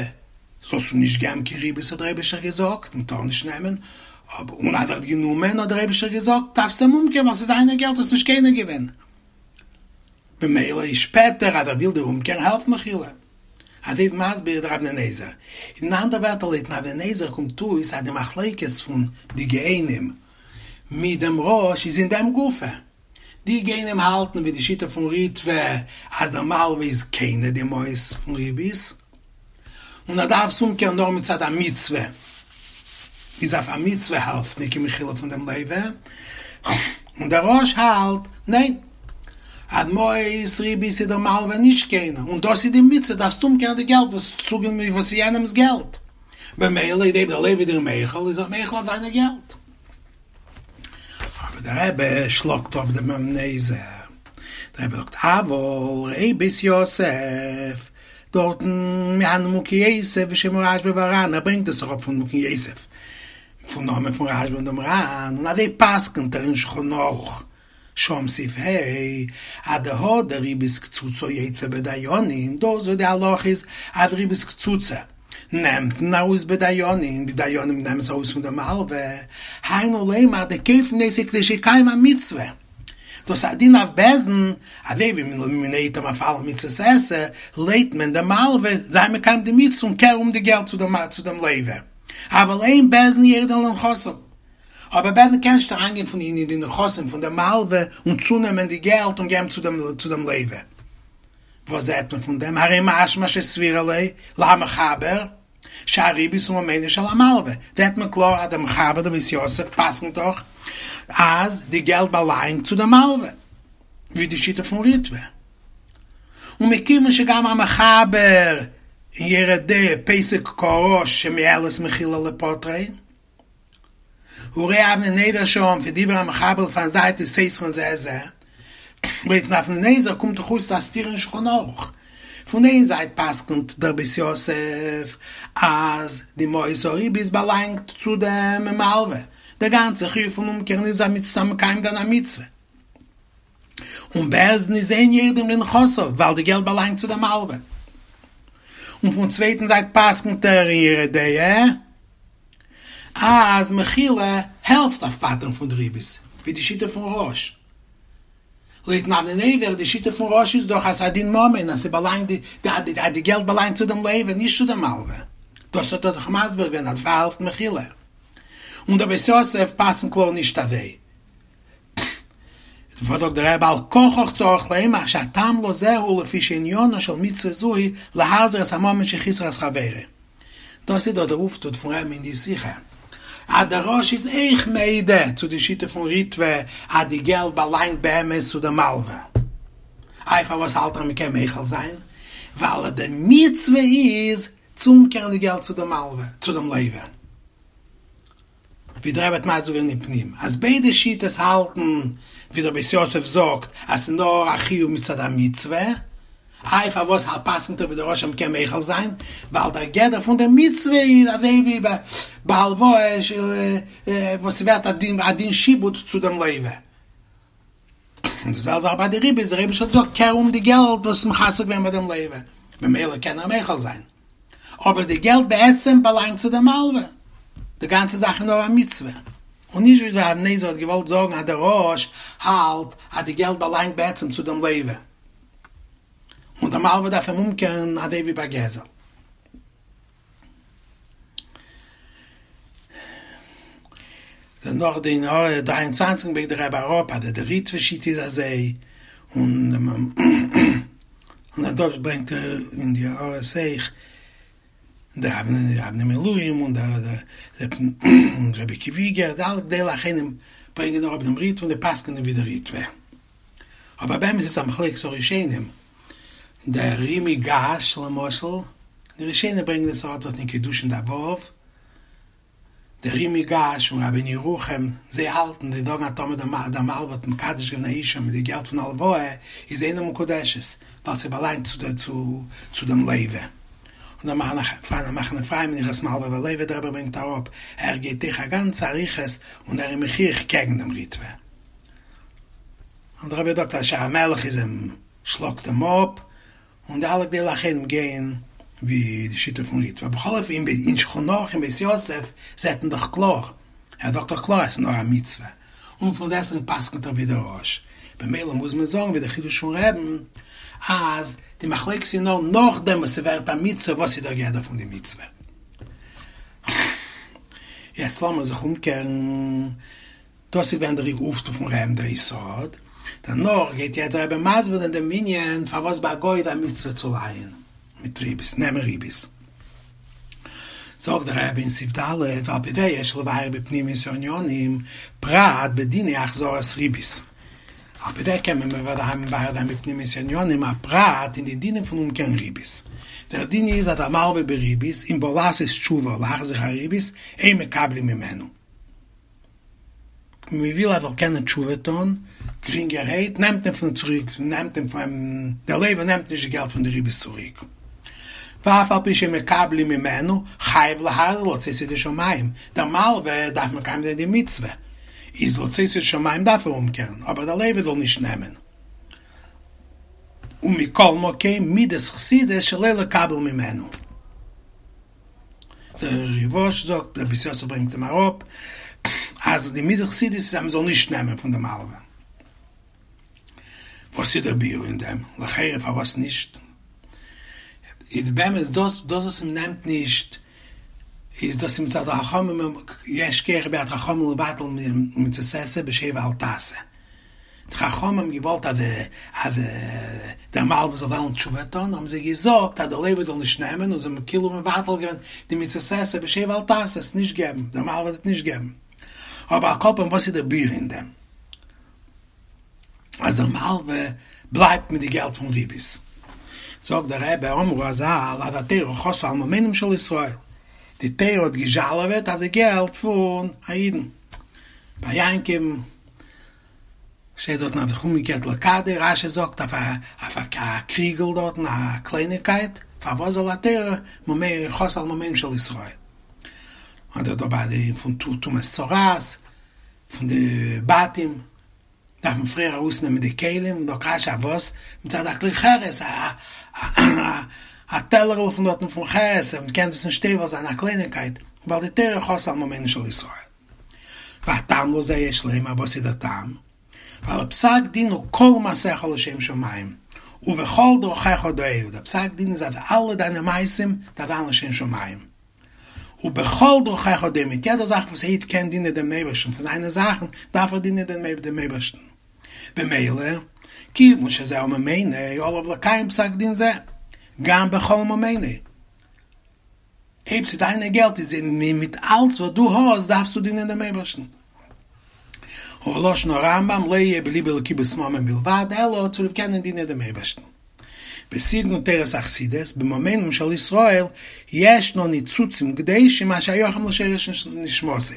זאלסטו נישט געבן קיין ריבית האט דער אייבערשטער געזאגט, מען טאר נישט נעמען, אבער און אז ער האט גענומען האט דער אייבערשטער געזאגט דארפסטו אים אומקערן ווייל ס'איז זיינע געלט האסט נישט קונה געווען, במילא איז שפעטער אז ער וויל דיר אומקערן העלפט מחילה. אזוי איז מסביר דער אבני נזר. אין אנדערע ווערטער לויטן אבני נזר קומט אויס אז די מחלוקת פון די גאונים מיט דעם ראש איז אין דעם גופא. די גאונים האלטן ווי די שיטה פון ריטבא אז דער מלווה איז קונה די מעות פון ריבית און ער דארף עס אומקערן נאר מצד א מצוה, איז אויף א מצוה העלפט ניט קיין מחילה פון דעם לוה, און דער ראש האלט ניין אז מעות ריבית איז דער מלווה נישט קונה און דאס איז די מצוה דארפסט אומקערן די געלט וואס איז יענעמס געלט במילא אויב דער לוה איז דיר מוחל איז ער מוחל אויף זיינע געלט. אבער דער רבי שלאגט אפ דעם אבני נזר, דער רבי זאגט אבל ראה בית יוסף, דארטן מהנימוקי יוסף בשם הרשב"א והר"ן, ער ברענגט עס אראפ פון נימוקי יוסף, פון נאמען פון רשב"א און דעם ר"ן, און אזוי פסק'נט ער אין שולחן ערוך, שם סעיף ה', אז דהא דריבית קצוצה יוציא בדיינים, דאס וואס די הלכה איז אז ריבית קצוצה נעמט מען ארויס בדיינים, די דיינים נעמען עס ארויס פון די מלווה, היינו לומר דכופין אותו כדי שיקיים המצוה, דאס איז א דין אויף בית דין, אזוי ווי מען לייט אים אויף אלע מצוות עשה, לייט מען די מלווה, זיי מקיים די מצוה און קער אום די געלט צו דעם לווה, אבל אין בית דין יורדין לנכסיו. אבער בית דין קען נישט אריינגיין פון אין די נכסים פון די מלווה און צונעמען די געלט און געבן צו דעם לווה. וואס זעט מען פון דעם? הרי משמע שסבירא ליה למחבר שהריבית הוא ממונו של המלווה, זעט מען קלאר אז דער מחבר דער בית יוסף פסק'נט דאך אז די געלט באלאנגט צו דעם מלווה, ווי די שיטה פון ריטב"א. ומכיוון שגם המחבר אין יורה דעה פוסק כרא"ש שמועלת מחילה לפוטרו, וראה אבני נזר שם ודברי המחבר לפן זית סותרין זה את זה, לויטן אבני נזר קומט דאך אויס א סתירה אין שולחן ערוך, פון איין זייט פסק'נט דער בית יוסף אז די מעות הריבית באלאנגט צו דעם מלווה, דער גאנצער חיוב פון אומקערן איז א מצוה מקיים זיין א מצוה, און בית דין איז אין יורדים לנכסיו ווייל די געלט באלאנגט צו דעם מלווה, און פון צווייטן זייט פסק'נט ער אין יורה דעה אז מחילה העלפט אויף פטר'ן פון די ריבית, ווי די שיטה פון רא"ש. לויטן אבני נזר, די שיטה פון רא"ש איז דאך אז ס'איז א דין ממון, אז ס'באלאנגט די אז די געלט באלאנגט צו דעם לווה, נישט צו דעם מלווה. דאס האט ער דאך מסביר געווען אז דערפאר העלפט מחילה. און דער בית יוסף פסק'נט קלאר נישט אזוי. דערפאר זאגט דער רבי על כרחך צריך לומר שהטעם לזה הוא לפי שעניינה של מצוה זו היא להחזיר את הממון שחיסר את חברו. דאס איז דא דער אויפטו פון רבי'ן אין די שיחה, אז דער רא"ש איז אויך מודה צו די שיטה פון ריטב"א אז די געלט באלאנגט באמת צו די מלווה. איי פארוואס האלט ער מ'קען מוחל זיין? ווייל די מצוה איז צו אומקערן די געלט צו די מלווה, צו דעם לווה. ווי דער רבי האט מסביר געווען אין פנים, אז ביידע שיטות האלטן ווי דער בית יוסף זאגט אז ס'איז נאר א חיוב מצד המצוה, איי פארוואס פסק'נט ער ווי דער רא"ש אז מ'קען מוחל זיין? ווייל דער גדר פון דער מצוה איז אזוי ווי ביי הלוואה וואס ס'ווערט א דין שעבוד צו דעם לווה. און די זעלבע זאך ביי די ריבית, דער אייבערשטער האט געזאגט קער אום די געלט וואס איז מחסר געווען ביי דעם לווה, ממילא קען ער מוחל זיין. אבער די געלט בעצם באלאנגט צו דעם מלווה, די גאנצע זאך איז נאר א מצוה, און נישט ווי דער אבן עזרא האט געוואלט זאגן אז דער רא"ש האלט אז די געלט באלאנגט בעצם צו דעם לווה, און דער מלווה דארף אים אומקערן אזוי ווי ביי גזל. דערנאך די אין הערה 23 ברענגט דער רבי אראפ אז דער ריטב"א שיטה איז אזוי, און און דאס ברענגט ער אין די הערות אויך דער אבני מילואים און דער רבי עקיבא איגר, די אלע גדולי האחרונים ברענגען אראפ דעם ריטב"א און די פסק'נען ווי דער ריטב"א. אבער באמת איז עס א מחלוקת הראשונים, דער ר"י מיגאש למשל, די ראשונים ברענגען עס אראפ דארט אין קידושין דף ו', דער ר"י מיגאש און רבינו ירוחם, זיי האלטן, זיי זאגן אז טאמער דער מלווה האט מקדש געווען א אישה מיט די געלט פון הלוואה, איז אינה מקודשת, ווייל ס'באלאנגט צו דעם לווה. און דער פאראן א מחנה אפרים אין הלכות מלווה ולווה, דער רבי ברענגט אראפ, ער גייט דורך א גאנצע אריכות און ער איז מוכיח קעגן דעם ריטב"א. און דער רבי זאגט אז שער המלך איז אים שלאגט אים אפ, און די אלע גדולי האחרונים גייען ווי די שיטה פון ריטב"א, בכל אופן אין שולחן ערוך אין בית יוסף זעט מען דאך קלאר, ער זאגט דאך קלאר אז ס'איז נאר א מצוה, און פון דעסטוועגן פסק'נט ער ווי דער רא"ש, במילא מוז מען זאגן ווי דער חידוש פון רבי'ן אז די מחלוקת איז נאר נאכדעם וואס ס'ווערט א מצוה, וואס איז דער גדר פון די מצוה? יעצט לאמיר זיך אומקערן. דאס איז געווען דער אויפטו פון רבי'ן דער יסוד, דערנאך גייט יעצט דער רבי מסביר זיין דעם ענין פארוואס ביי א גוי איז א מצוה צו לייען מיט ריבית, נעמען ריבית. זאגט דער רבי אין סעיף ד', ועל פי זה יש לבאר בפנימיות הענינים, פרט בדיני החזרת ריבית. על פי זה קען מען בוודאי מבאר זיין בפנימיות הענינים א פרט אין די דינים פון אומקערן ריבית. דער דין איז אז המלווה בריבית, אם בא לעשות תשובה להחזיר הריבית, אין מקבלים ממנו. מען וויל ער זאל קענען תשובה טון גרינגערהייט, נעמט מען פון צוריק, נעמט מען פון דער לווה נעמט נישט די געלט פון די ריבית צוריק, ואף על פי שמקבלים ממנו, חייב להחזיר לצאת ידי שמים, דער מלווה דארף מקיים זיין די מצוה, איז לצאת ידי שמים דארף ער אומקערן, אבער דער לווה זאל נישט נעמען. ומכל מקום מידת חסידות שלא לקבל ממנו. דער ריב"ש זאגט, דער בית יוסף ברענגט אים אראפ, אז די מידת חסידות איז אז מען זאל נישט נעמען פון די מלווה. וואס איז דער ביאור אין דעם? לכאורה פארוואס נישט? איז באמת דאס דאס וואס מען נעמט נישט איז דאס מצד החכמים יש כח ביד חכמים לבטל מצות עשה בשב ואל תעשה. די חכמים האבן געוואלט אז אז דער מלווה זאל וועלן תשובה טון, האבן זיי געזאגט אז דער לווה זאל נישט נעמען, און זיי האבן כאילו מבטל געווען די מצות עשה בשב ואל תעשה, עס נישט געבן, דער מלווה וועט נישט געבן. אבער על כל פנים וואס איז דער ביאור אין דעם? אז דער מלווה בלייבט מיט די געלט פון ריבית. זאגט דער רבי, אמרו רז"ל אז התורה חסה על ממונם של ישראל, די תורה האט געזשאלעוועט אויף די געלט פון א אידן. ביי יעקב'ן שטייט דארטן האט זיך אומגעקערט לכדו, רש"י זאגט אויף אויף א קריגל דארטן א קלייניגקייט, פארוואס זאל התורה חסה על ממונם של ישראל? אדער דא ביי די פון טומאת צרעת, פון די בתים, דארף מען פריער ארויסנעמען די כלים, זאגט רש"י אויף וואס? מצד א כלי חרס, א טעלערל פון דארטן פון חרס, מען קען דאס נישט טובל זיין א קלייניגקייט, ווייל די תורה חסה על ממונם של ישראל. והטעם לזה יש לומר, וואס איז דער טעם? ווייל פסק דין הוא כל מעשיך לשם שמים, ובכל דרכיך דעהו, דער פסק דין איז אז אלע דיינע מעשים דארף זיין לשם שמים, ובכל דרכיך דעהו, מיט יעדע זאך וואס א איד קען דינען דעם אייבערשטן פון זיינע זאכן, דארף ער דינען דעם אייבערשטן. במילא, כיוון שזהו ממונו, עליו לקיים פסק דין זה, גם בכל ממונו. אויב ס'איז דיינע געלט איז מיט אלץ וואס דו האסט דארפסטו דינען דעם אייבערשטן. ולשון הרמב"ם לא יהיה בליבו לקיבוץ ממון בלבד אלא צוליב קענען דינען דעם אייבערשטן. בסגנון תורת החסידות בממונם של ישראל ישנו ניצוצים קדושים השייכים לשורש נשמתו.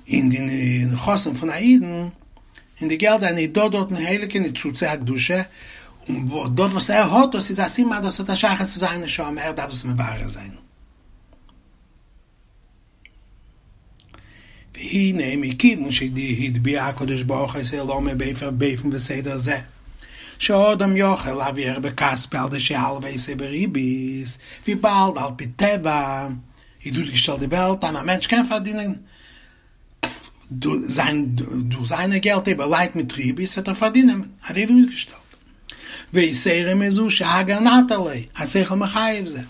אין די נכסים פון א אידן, אין די געלט זיינע איז דא דארטן הייליגע ניצוצי הקדושה, און דאס וואס ער האט דאס איז א סימן אז דאס האט א שייכות צו זיין נשמה, ער דארף דאס מברר זיין. והנה מכיוון שהטביע הקדוש ברוך הוא את עולמו באופן וסדר זה, שאדם יכול להרוויח בכספו על ידי שילוה אותו בריבית, וויבאלד על פי טבע איז אויסגעשטעלט די וועלט אז א מענטש קען פארדינען דורך זיינע געלט אויב ער לייט מיט ריבית וועט ער פארדינען, אזוי איז אויסגעשטעלט. ויתירה מזו שהגר נטה ליה, השכל מחייב זה.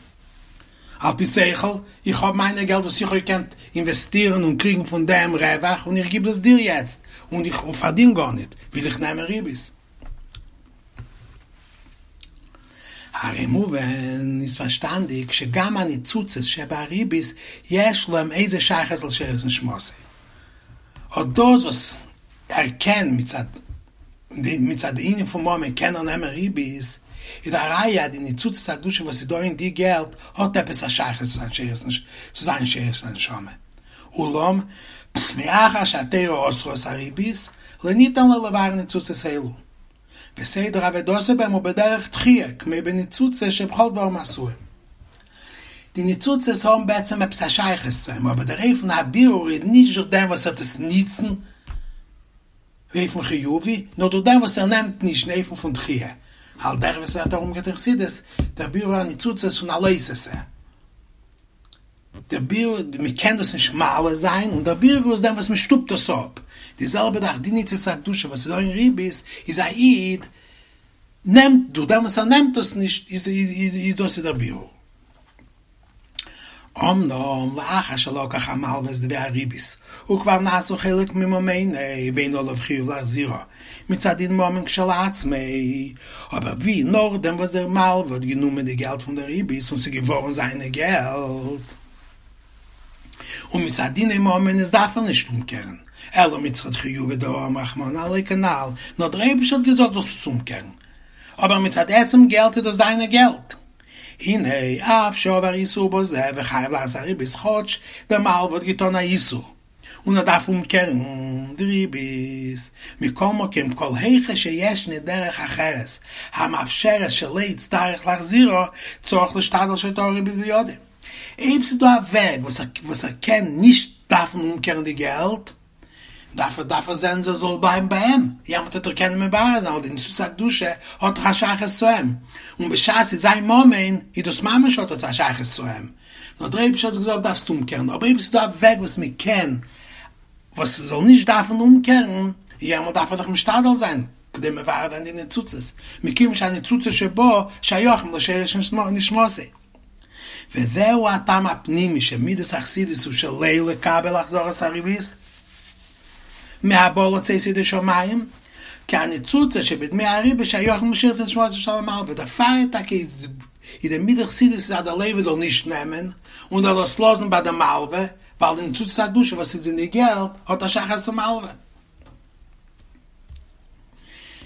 על פי שכל, איך האב מיינע געלט וואס איך האב געקענט אינוועסטירן און קריגן פון דעם רווח און איך גיב דאס דיר יעצט און איך פארדין גארניט, וויל איך נעמען ריבית. הרי מובן איז פארשטאנדיג שגם הניצוצות שבריבית יש להם איזה שייכות לשורש נשמתו. אט דאס וואס ער קען מצד מצד די ענין פון ממון קען ער נעמען ריבית, איז א ראיה אז די ניצוצות הקדושה וואס איז דא אין די געלט האט עפעס א שייכות צו זיין שורש הנשמה. אולם, מאחר שהתורה אסרה את הריבית, לא ניתן לו לברר ניצוצות אלו. וסדר עבודתו בהם הוא בדרך דחיה, כמו בניצוצות שבכל דברים עשויים. די ניצוצות האבן בעצם עפעס א שייכות צו אים, אבער דער אופן הבירור איז נישט דורך דעם וואס ער טוט עס ניצן באופן חיובי, נאר דורך דעם וואס ער נעמט נישט אין אופן פון דחיה, על דרך ווי ס'ווערט ארומגערעדט אין חסידות, דער בירור הניצוצות פון א לא תעשה. דער בירור, מען קען דאס נישט מעלה זיין, און דער בירור איז דעם וואס מען שטופט דאס אפ. די זעלבע זאך די ניצוץ הקדושה וואס איז דא אין ריבית, איז א איד נעמט, דורך דעם וואס ער נעמט דאס נישט, איז איז דאס איז דער בירור. אמנם לאחר שלקח המלווה את דמי הריבית, וכבר נעשו חלק מממונו, ואין עליו חיוב להחזירה, מצד דין ממון כשלעצמו, אבער ווי נאכדעם וואס דער מלווה האט גענומען די געלט פון די ריבית און ס'איז געווארן זיינע געלט, און מצד דיני ממונות דארף ער נישט אומקערן, אלא מצד חיובא דאמר רחמנא עליה כנ"ל, נאר דער אייבערשטער האט געזאגט זאלסט עס אומקערן, אבער מצד עצם געלט איז דאס דיינע געלט. הנה, אף שעבר איסור בזה וחייב להחזיר הריבית כאטש דער מלווה האט געטאן א איסור, און ער דארף אומקערן די ריבית, מכל מקום כל היכא שישנה דרך אחרת המאפשרת שלא יצטרך להחזירה צריך להשתדל שתהא הריבית בידו. אויב ס'איז דא א וועג וואס ער קען נישט דארפן אומקערן די געלט, דארף ער דארף ער זען ס'זאל בלייבן ביי אים, יעמאלט וועט ער קענען מברר זיין ווייל די ניצוץ הקדושה האט דאך א שייכות צו אים, און בשעת ס'איז זיין ממון איז דאס ממש האט עס א שייכות צו אים, נאר דער אייבערשטער האט געזאגט דארפסט אומקערן, אבער אויב עס איז דא א וועג וואס מען קען וואס ס'זאל נישט דארפן אומקערן, יעמאלט דארף ער זיך משתדל זיין כדי מברר זיין די ניצוצות, מכיוון שהניצוצות שבו שייכים לשורש נשמתו. וזהו הטעם הפנימי שמידת החסידות הוא שלא לקבל החזרת הריבית מהבא לצאת ידי שמים, כי הניצוצות שבדמי הריבית שייכים לשורש נשמתו של המלווה, דערפאר טאקע איז די מידת חסידות איז אז דער לווה זאל נישט נעמען און זאל עס לאזן ביי די מלווה, ווייל די ניצוצות הקדושה וואס איז אין די געלט האט א שייכות צום מלווה.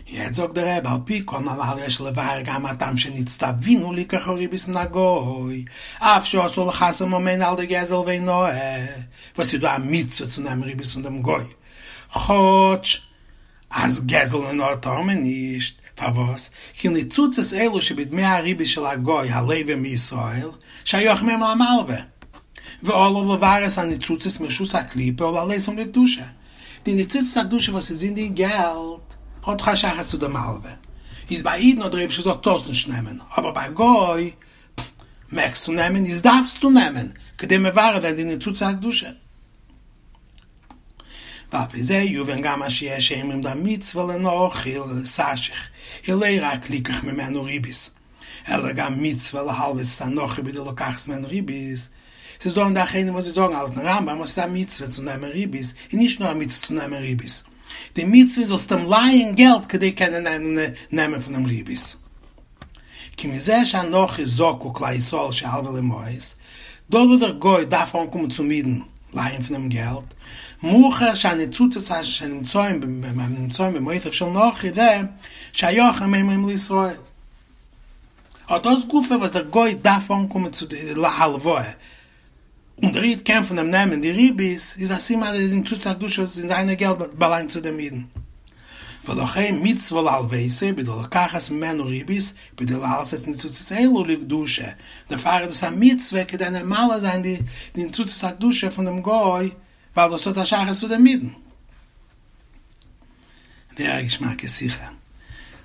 יעצט זאגט דער רבי על פי כל הנ"ל יש לבאר גם הטעם שנצטווינו ליקח הריבית מן הגוי אף שאסור לחסר ממונו על ידי גזל והונאה וואס איז דא א מצוה צו נעמען ריבית פון דעם גוי כאטש אז גזל און הונאה טאר מען נישט, פארוואס? כי ניצוצות אלו שבדמי הריבית של הגוי הלווה מישראל שייכים הם למלווה ועליו לברר את הניצוצות מרשות הקליפה ולהעלותם לקדושה די ניצוצות הקדושה וואס איז אין די געלט האט דאך א שייכות צו די מלווה, איז ביי אידן האט דער אייבערשטער געזאגט טארסט נישט נעמען, אבער ביי גוי מעגסטו נעמען, איז דארפסטו נעמען, כדי מברר זיין די ניצוצות הקדושה. ועל פי זה יובן גם מה שיש אומרים דהמצוה לנכרי לתשך, היא לא רק ליקח ממנו ריבית, אלא גם מצוה להלוות את הנכרי בכדי לקחת ממנו ריבית, ס'איז דא אין די אחרונים וואס זיי זאגן לויטן רמב"ם אז ס'איז א מצוה צו נעמען ריבית, און נישט נאר א מצוה צו נעמען ריבית, די מצוה איז זאלסט אים לייען געלט כדי קענען נעמען פון אים ריבית. כי מזה שהנכרי זקוק לישראל שילוה לו מעות, דאס וואס דער גוי דארף אנקומען צום אידן לייען פון אים געלט, מוכח שהניצוצות שנמצאים במעותיו של נכרי זה שייכים הם לישראל. אט דאס גופא וואס דער גוי דארף אנקומען צו די להלוואה. און דער איד קען פון דעם נעמען די ריבית, איז א סימן אז די ניצוצי הקדושה אין זיינע געלט באלאנגט צו דעם אידן. ולכן מצוה להלוותו בכדי לקחת ממנו ריבית בכדי להעלות את ניצוצות אלו לקדושה, דערפאר איז דאס א מצוה כדי מעלה זיין די ניצוצות הקדושה פון דעם גוי ווייל דאס האט א שייכות צו דעם אידן. זייער א געשמאקע שיחה.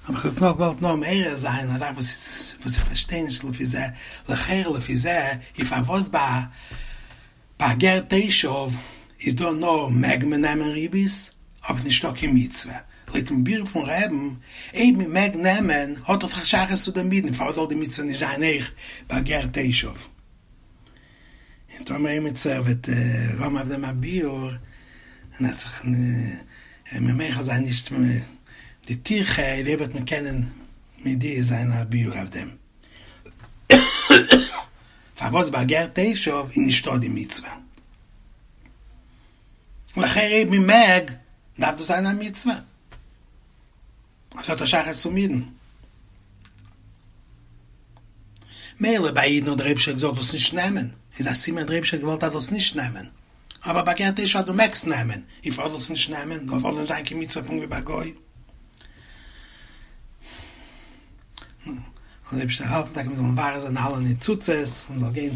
אבער איך האב נאר געוואלט נאר מעורר זיין א זאך וואס וואס איך פארשטיי נישט לפי זה, לכאורה לפי זה איז פארוואס ביי ביי גר תושב איז דא נאר מעג מען נעמען ריבית אבער נישטא קיין מצוה, לויטן ביאור פון רבי'ן אויב מען מעג נעמען האט דאך א שייכות צו דעם אידן פארוואס זאל די מצוה נישט זיין אויך ביי גר תושב? און טאמער עמיצער וועט האבן אויף דעם א ביאור און ער וועט זיך מיר מוחל זיין נישט די טירחה אויב וועט מען קענען מודיע זיין א ביאור אויף דעם פארוואס ביי גר תושב איז נישטא די מצוה. לכאורה אויב מען מעג דארף דאס זיין א מצוה. עס האט א שייכות צום אידן. מילא ביי אידן האט דער אייבישטער געזאגט זאלסט נישט נעמען, איז א סימן דער אייבישטער האט געוואלט אז זאלסט נישט נעמען. אבער ביי גר תושב אז דו מעגסט נעמען, און פארוואס זאלסט נישט נעמען? זאל נישט זיין קיין מצוה פונקט ווי ביי גוי. זאל דער אייבישטער העלפן טאקע מיר זאלן מברר זיין אלע ניצוצות און מ'זאל גיין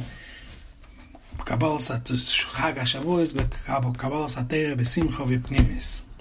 בקבלת חג השבועות בקבלת התורה בשמחה ובפנימיות.